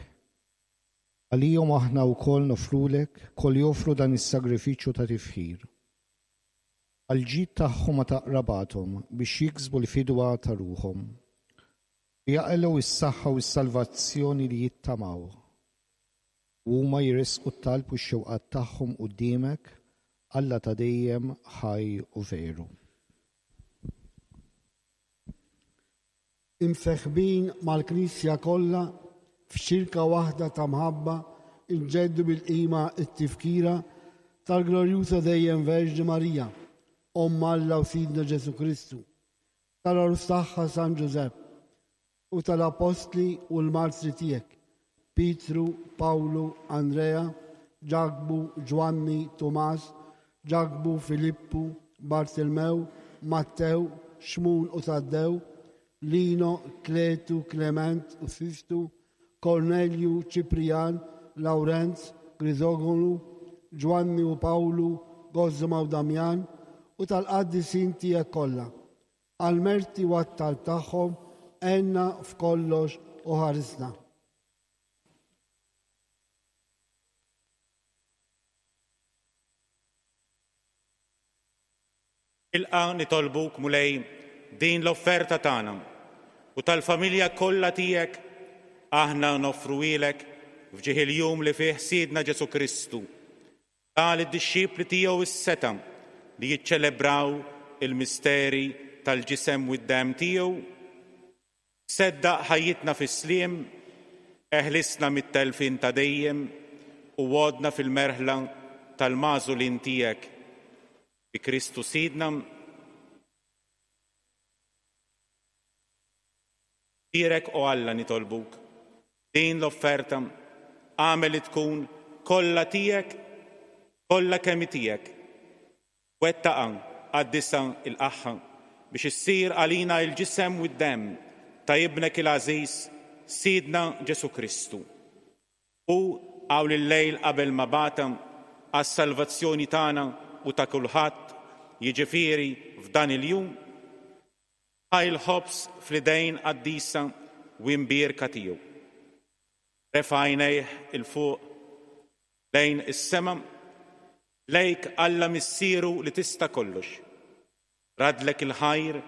Għalihom aħna wkoll noffrulek, koll joffru dan is-sagrifiċċju ta' tifħir. Għall-ġid tagħhom u ta' qrabathom biex jiksbu l-fidwa ta' ruħhom. U jaqilgħu s-saħħa u s-salvazzjoni li jittamaw. U huma jressqu t-talb u x-xewqat tagħhom quddiemek, Alla ta' dejjem, ħaj u veru. Imseħbin mal-Knisja kollha f'xirka waħda ta' mħabba nġeddu bil-qima t-tifkira tal-Glorjuża Dejjem Verġni Marija, Omm Alla u Sidna Ġesù Kristu, tal-Għarus tagħha San Ġużepp, u tal-Appostli u l-Martri tiegħek, Pietru, Pawlu, Andrea, Ġakbu, Ġwanni, Tumas, Ġakbu, Filippu, Bartilmew, Mattew, Xmun u Taddew, Lino, Kletu, Klement u Sistu, Kornelju, Ċiprijan, Lawrenz, Griżogonu, Ġwanni u Pawlu, Gożma u Damjan, u tal-qaddisin tiegħek kollha. Għall-merti u għat-talb tagħhom, għenna f'kollox u ħarisna. Ilqa' nitolbuk, Mulej, din l-offerta tagħna u tal-familja kollha tiegħek aħna noffruhielek f'ġieħ il-jum li fih Sidna Ġesù Kristu Ta lid-dixxipli tiegħu s-setgħa li jiċċelebraw il-misteri tal-ġisem u d-demm tiegħu. Seddaq ħajjitna fis-sliem, eħlisna mit-telfien ta' dejjem u għodna fil-merħla tal-magħżulin tiegħek. Bi Kristu Sidna. Bierek, o Alla, nitolbuk, din l-offerta, agħmel li tkun kollha tiegħek, kollha kemm hi tiegħek. Wettaqha, qaddisha, ilqagħha, biex issir għalina l-ġisem u d-demm ta' Ibnek il-għażiż, Sidna Ġesù Kristu. Hu hawn il-lejl qabel ma bata għas-salvazzjoni tagħna u ta' kulħadd, jiġifieri f'dan il-jum, Ħa l-ħobż fl-idejn qaddisa u imbierka tiegħu. Refa' għajnejh 'il fuq lejn is-sema, lejk Alla Missieru li tista' kollox. Raddlek il-ħajr,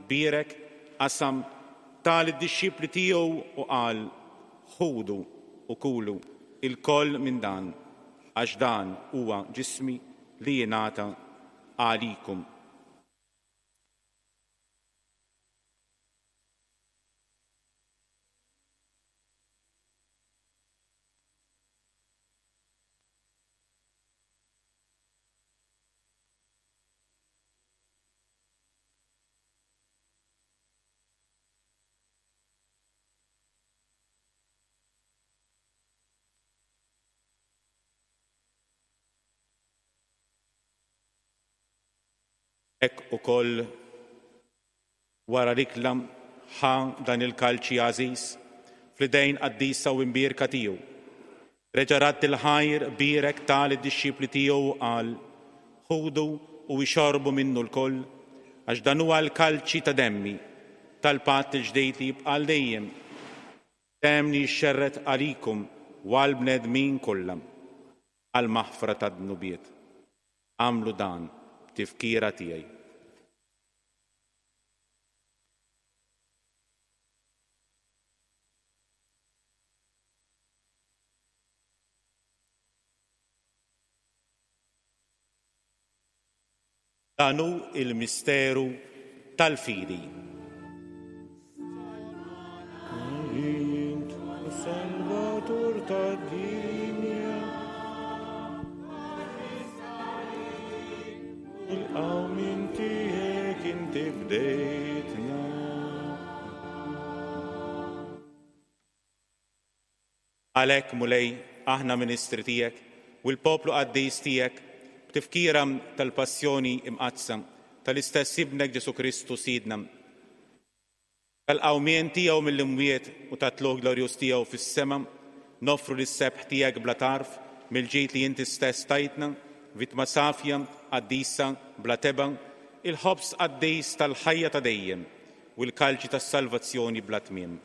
bierek, qasam, ta lid-dixxipli tiegħu u qal, Ħudu u kulu ilkoll minn dan, għax dan huwa ġismi li jingħata għalikom. Hekk ukoll wara l-ikla ħa dan il-kalċi għażiż fl-idejn qaddisa u imbierka tiegħu. Reġa' radd il-ħajr, bierek, ta lid-dixxipli tiegħu u qal, Ħudu u ixorbu minnu lkoll, għax dan huwa l-kalċi ta' demmi, tal-patt il-ġdid li jibqa' għal dejjem, demm li jixxerred għalikom u għall-bnedmin kollha għall-maħfra tad-dnubiet. Agħmlu dan b'tifkira tiegħi. Dan hu l-misteru tal-fidi. Int Salvatur tad-dinja. Il-qawmien tiegħek inti bdejtna. Għalhekk, Mulej, aħna ministri tiegħek u l-poplu qaddis tiegħek, b'tifkira tal-Passjoni Imqaddsa tal-istess Ibnek Ġesù Kristu Sidna, tal-qawmien tiegħu mill-imwiet u tat-tlugħ glorjuż tiegħu fis-sema, noffru lis-sebħ tiegħek bla tarf mill-ġid li inti stess tajtna, vittma safja, qaddisa, bla tebgħa, il-ħobż qaddis tal-ħajja ta' dejjem u l-kalċi tas-salvazzjoni bla tmiem.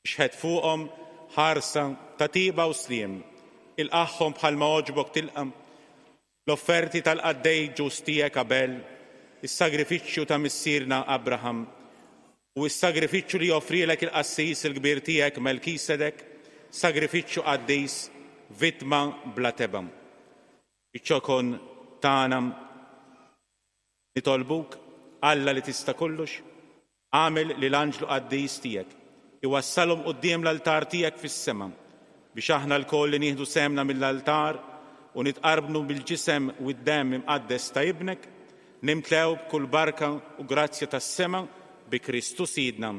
Ixħet fuqhom ħarsa ta' tieba u sliem, ilqagħhom bħalma għoġbok tilqa' l-offerti tal-qaddej ġust tiegħek Abel, is-sagrifiċċju ta' missierna Abraham, u s-sagrifiċċju li offrielek il-qassis il-kbir tiegħek Melkisedek, sagrifiċċju qaddis, vittma bla tebgħa. Iċ-ċokon tagħna Nitolbuk, Alla li tista' kollox, agħmel li l-anġlu qaddis tiegħek iwassalhom quddiem l-altar tiegħek fis-sema, biex aħna lkoll li nieħdu sehemna mill-altar u nitqarbnu bil-ġisem u d-demm imqaddes ta' Ibnek, nimtlew b'kull barka u grazzja tas-sema bi Kristu Sidna.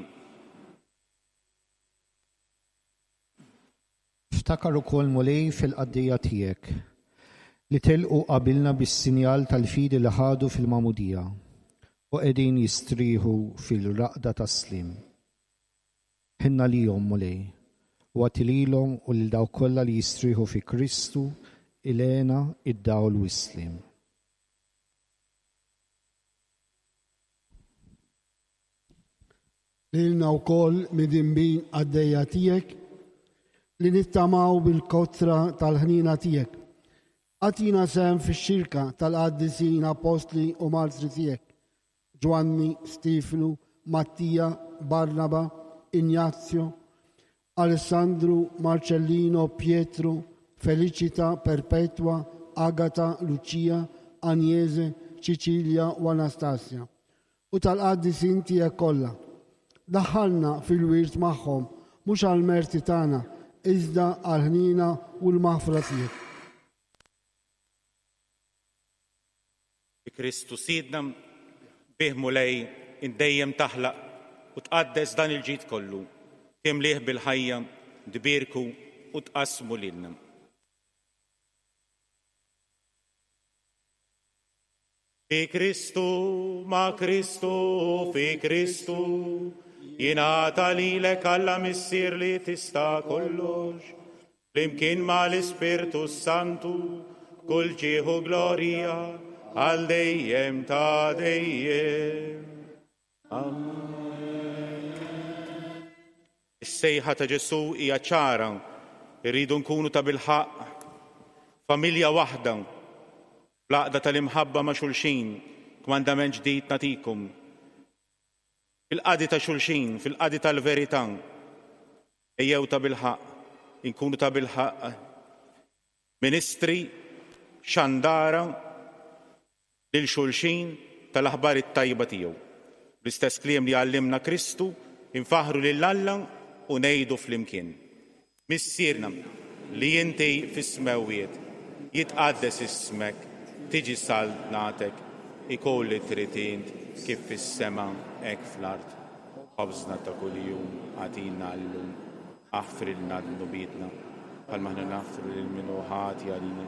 Ftakar ukoll, Mulej, fil-qaddejja tiegħek, li telqu qabilna bis-sinjal tal-fidi li ħadu fil-magħmudija, u qegħdin jistrieħu fil-raqda tas-sliem. Ħenn għalihom, Mulej, u agħti lilhom u lil dawk kollha li jistrieħu fi Kristu l-hena, id-dawl u s-sliem. Lilna wkoll midinbin qaddejja tiegħek li nittamaw bil-kotra tal-ħniena tiegħek. Agħtina sehem fix-xirka tal-qaddisin appostli u martri tiegħek, Ġwanni, Stiefnu, Mattija, Barnaba, Injazio, Alessandru, Marcellino, Pietru, Felicita, Perpetwa, Agata, Lucia, Agnese, Ċiċilja u Anastasia. U tal-qaddisin tiegħek kollha. Daħħalna fil-wirt magħhom, mhux għall-merti tagħna, iżda għall-ħniena u l-maħfra tiegħek. Bi Kristu Sidna, bih Mulej, int dejjem taħlaq u tqaddes dan il-ġid kollu, timlieh bil-ħajja, tbierku u tqassmu lilna. Fi Kristu, ma' Kristu, fi Kristu, jingħata lilek Alla Missier li tista' kollox, flimkien ma' l-Ispirtu s-Santu, b'kull ġieħ u glorja għal dejjem ta' dejjem. Amen. Is-sejħa ta' Ġesù hija ċara, irridu nkunu tabilħaqq familja waħda Bl-għaqda tal-imħabba ma' xulxin, kmandament ġdid nagħtikum. Fil-qadi ta' xulxin, fil-qadi tal-verità, ejjew tabilħaqq inkunu tabilħaqq ministri, xandara lil xulxin tal-aħbar it-tajba tiegħu. Bl-istess kliem li għallimna Kristu, infaħħru lil Alla u ngħidu flimkien. Missierna, li inti fis-smewwiet, jitqaddes ismek, tiġi saltnatek, ikun li trid int kif fis-sema hekk fl-art. Ħobżna ta' kuljum agħtina llum. Aħfrilna dnubietna, bħalma aħna naħfru lil min hu ħati għalina.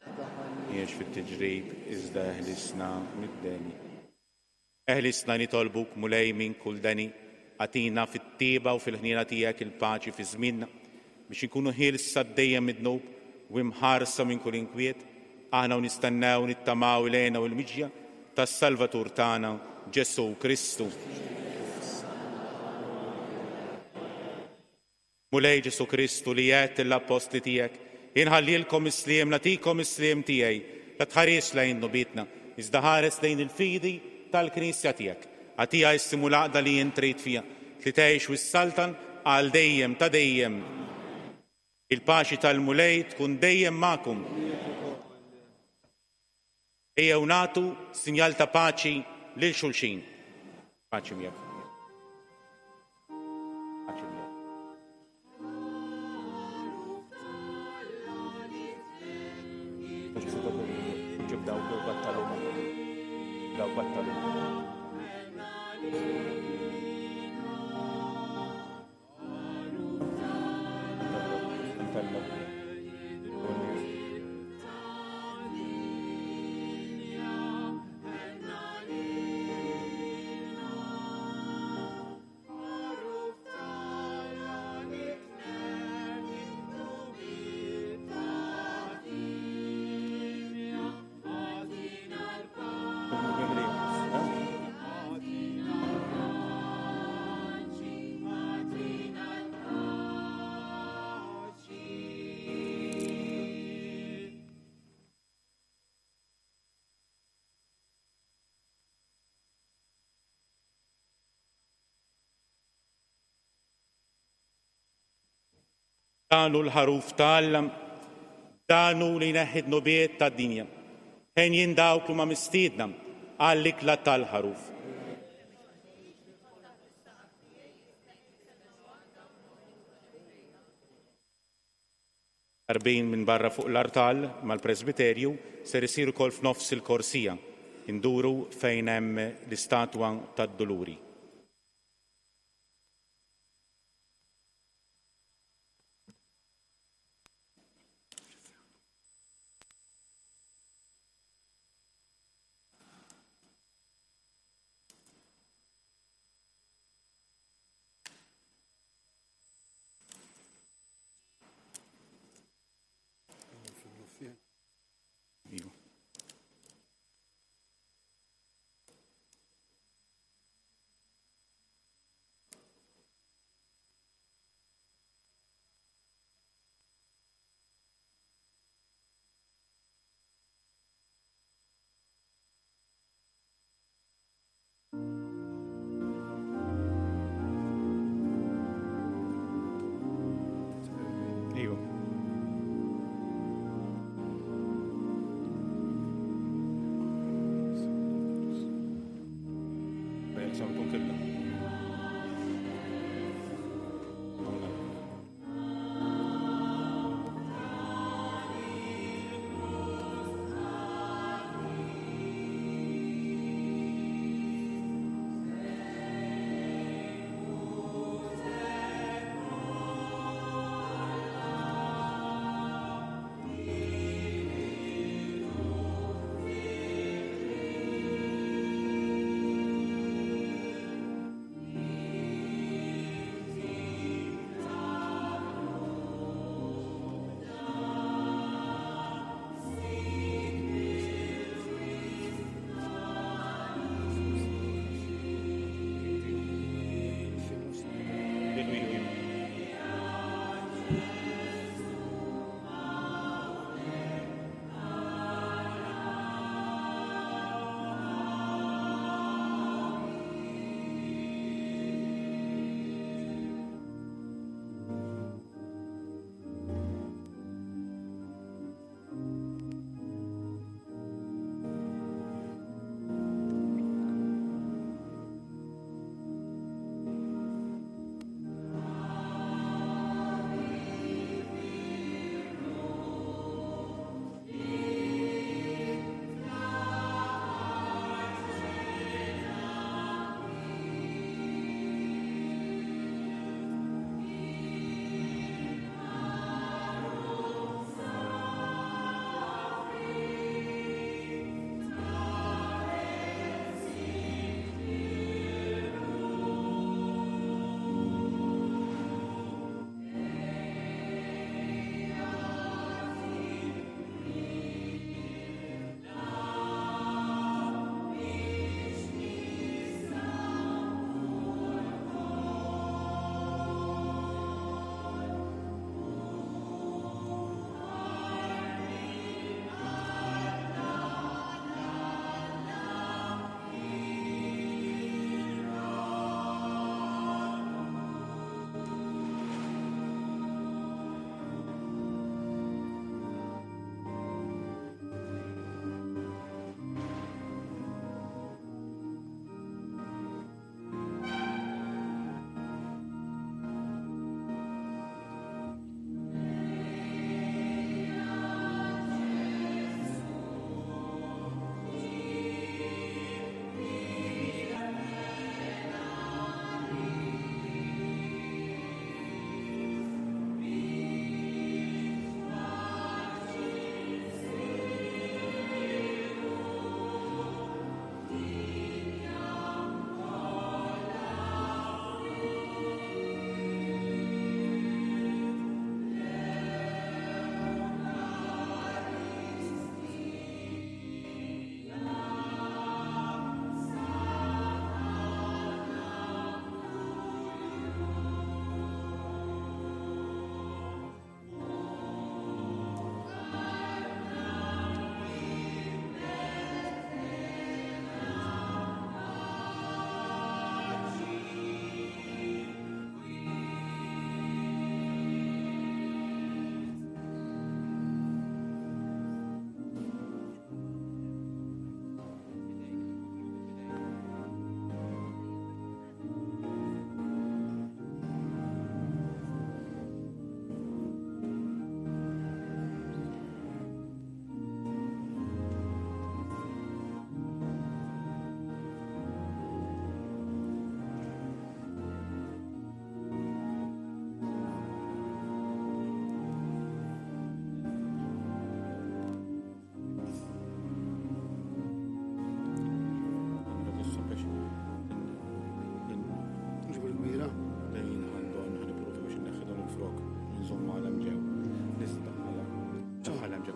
Tdaħħalniex fit-tiġrib. iżda eħlisna mid-deni. Eħlisna nitolbuk Mulej minn kull deni, agħtina fit-tjieba u fil-ħniena tiegħek il-paċi fi żmienna, biex inkunu ħielsa dejjem mid-dnub u imħarsa minn kull inkwiet, aħna u nistennew u nittamaw il-hena u l-miġja tas-Salvatur tagħna, Ġesù Kristu. Mulej Ġesù Kristu li għedt lill-appostli tiegħek, Inħallilkom is-sliem, nagħtikom is-sliem tiegħi, la tħarisx lejn dnubietna, iżda ħares lejn il-fidi tal-Knisja tiegħek. Agħtiha s-sliem u l-għaqda li int trid fiha, li tgħix u ssaltan għal dejjem ta' dejjem. Il-paċi tal-Mulej tkun dejjem magħkom. Ejjew nagħtu sinjal ta' paċi lil xulxin. Paċi miegħek. Paċi miegħek. Ġib dawk battaluma. Dawk battaluma. Dan hu l-ħaruf ta' Alla, dan hu li jneħħi d-dnubiet tad-dinja. Henjin dawk li huma mistiedna għall-ikla tal-ħaruf. Tqarbin minn barra fuq l-artal mal-presbiterju ser isir ukoll f'nofs il-korsija, induru fejn hemm l-istatwa tad-Duluri.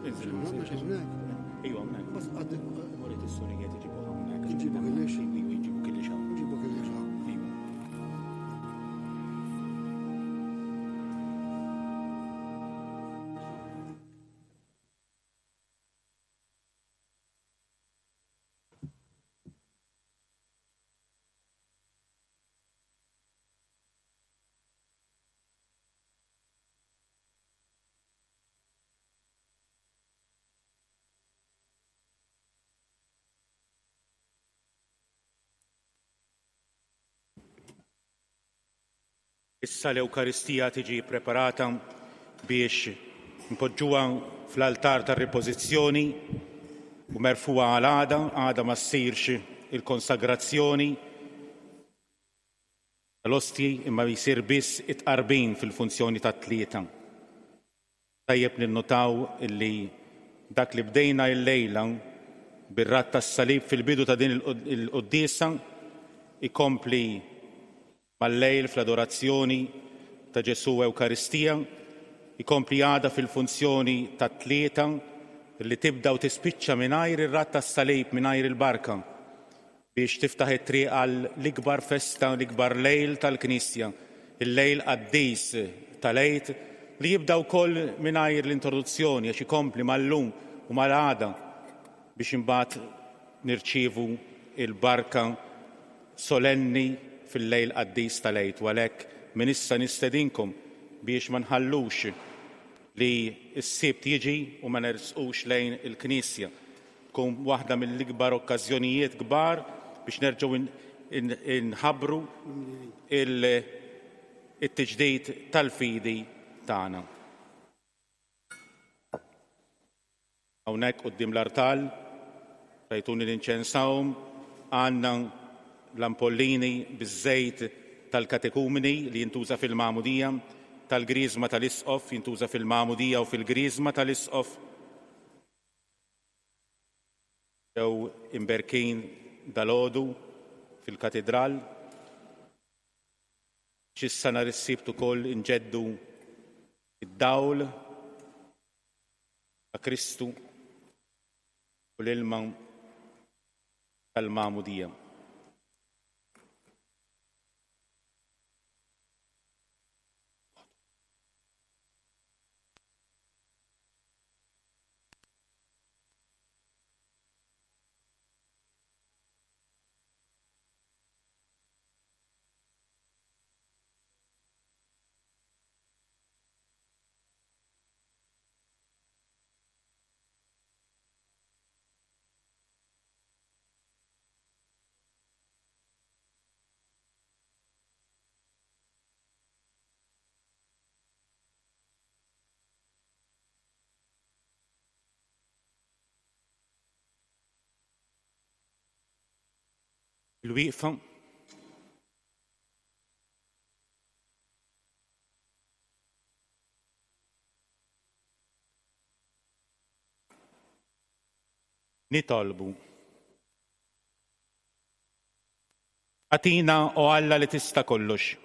Iva, hawnhekk. Bas għaddi. Morit is-sorijiet iġibu hawnhekk. Iġibu kellix. Iġibu kellix hawn. Iġibu kellix hawn. Iva. Issa l-Ewkaristija tiġi preparata biex npoġġuha fl-altar tar-ripożizzjoni u merfugħa għal għada, għada ma ssirx il-konsagrazzjoni tal-ostji imma jsir biss it-tqarbin fil-funzjoni tat-tlieta. Tajjeb ninnotaw illi dak li bdejna illejla bir-radd tas-salib fil-bidu ta' din il-quddiesa jkompli mal-lejl fl-adorazzjoni ta' Ġesù Ewkaristija, jkompli għada fil-funzjoni tat-tlieta li tibda u tispiċċa mingħajr ir-radd tas-salib, mingħajr il-barka. biex tiftaħ it-triq għal l-ikbar festa, l-ikbar lejl tal-Knisja, il-lejl qaddis tal-Għid li jibda wkoll mingħajr l-introduzzjoni għax ikompli mal-lum u mal-għada biex imbagħad nirċievu l-barka solenni fil-lejl qaddis tal-Għid u għalhekk minn issa nistedinkom biex ma nħallux li s-Sibt jiġi u ma nersqux lejn il-Knisja. Tkun waħda mill-ikbar okkażjonijiet kbar biex nerġgħu nħabbru it-tiġdid tal-fidi tagħna. Hawnhekk quddiem l-artal, rajtuni ninċensahom, għandna l-ampollini biż-żejt tal-katekumeni li jintuża fil-magħmudija, tal-griżma tal-isqof jintuża fil-magħmudija u fil-griżma tal-isqof. Ġew imberkin dalgħodu fil-Katidral. X'issa nhar is-Sibt ukoll inġeddu d-dawl ta' Kristu u l-ilma tal-magħmudija. Il-wieqfa. Nitolbu. Agħtina, o Alla li tista' kollox,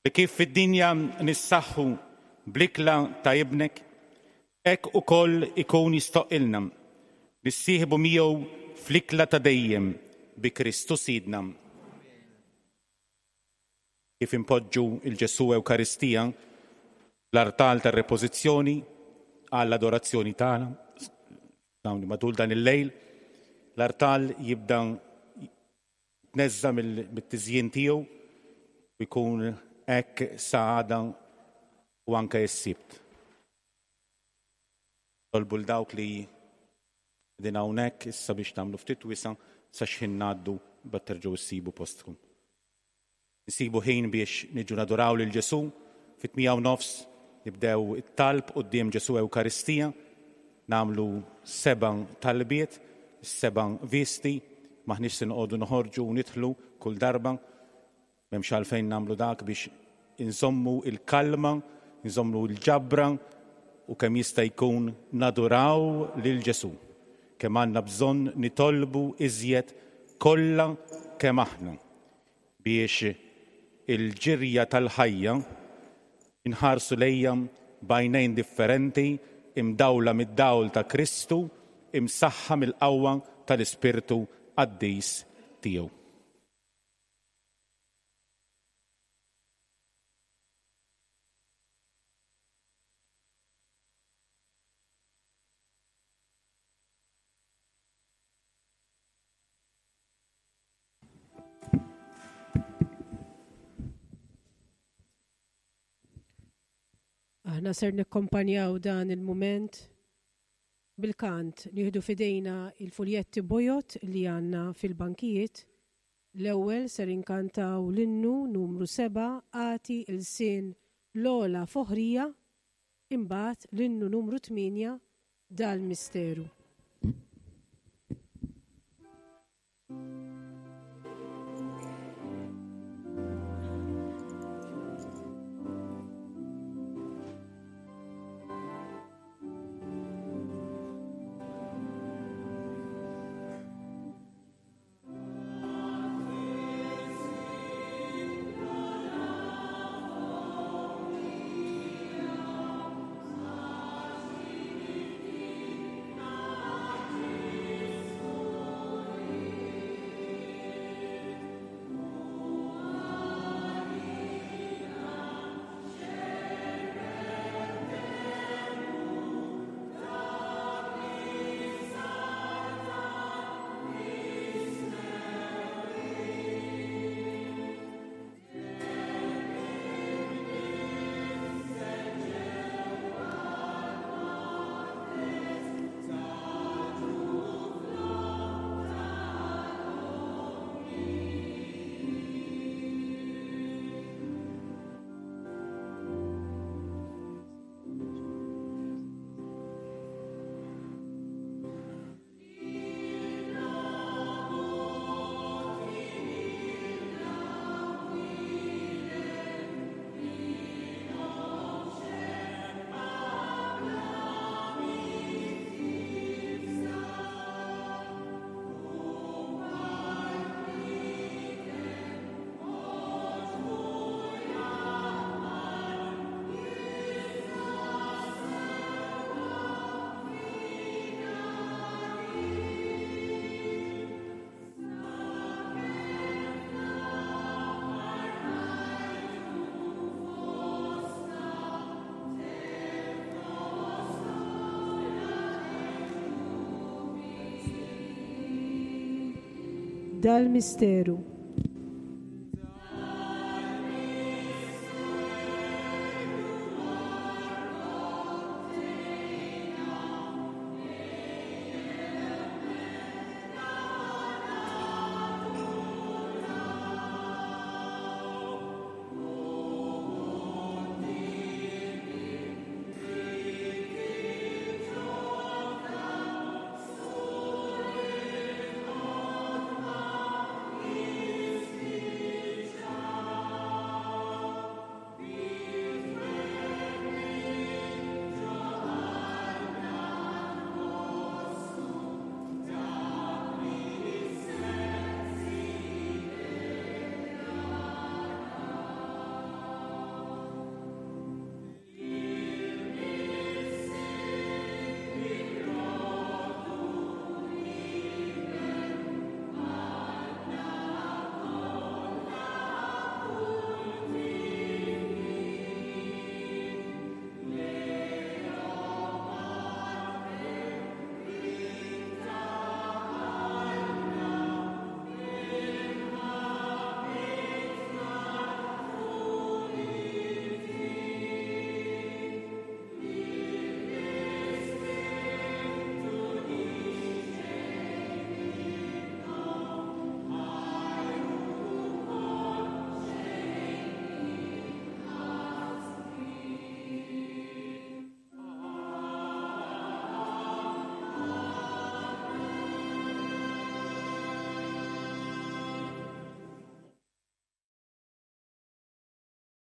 li kif fid-dinja nissaħħu bl-ikla ta' Ibnek, hekk ukoll ikun jistoqqilna nissieħbu miegħu fl-ikla ta' dejjem bi Kristu Sidna. Kif inpoġġu 'l Ġesù Ewkaristija fl-artal tar-repożizzjoni għall-adorazzjoni tagħna, dawn matul dan il-lejl, l-artal jibda jitneżża' mit-tiżjin tiegħu u jkun hekk sa għada u anke s-Sibt. Nitolbu 'l dawk li qegħdin hawnhekk issa biex tagħmlu ftit wisa' sa x'ħin ngħaddu mbagħad terġgħu ssibu postkom. Insibu ħin biex niġu naduraw lil Ġesù fit-tmija u nofs nibdew it-talb quddiem Ġesù Ewkaristija, nagħmlu seba' talbiet, is-seba' visti, m'aħniex se noqogħdu noħorġu u nidħlu kull darba, m'hemmx għalfejn nagħmlu dak biex inżommu l-kalma, inżommu l-ġabra u kemm jista' jkun naduraw lil Ġesù. Kemm għandna bżonn nitolbu iżjed kollha kemm aħna. biex il-ġirja tal-ħajja nħarsu lejha b'għajnejn differenti imdawla mid-dawl ta' Kristu, imsaħħa mill-qawwa tal-Ispirtu Qaddis tiegħu. Aħna ser nikkompanjaw dan il-mument bil-kant nieħdu f'idejna il-fuljetti bojod li għandna fil-bankijiet. L-ewwel ser inkantaw l-innu numru 7 Agħti lsien l-ogħla foħrija, imbagħad l-innu numru 8 Dal-Misteru. Dal-misteru.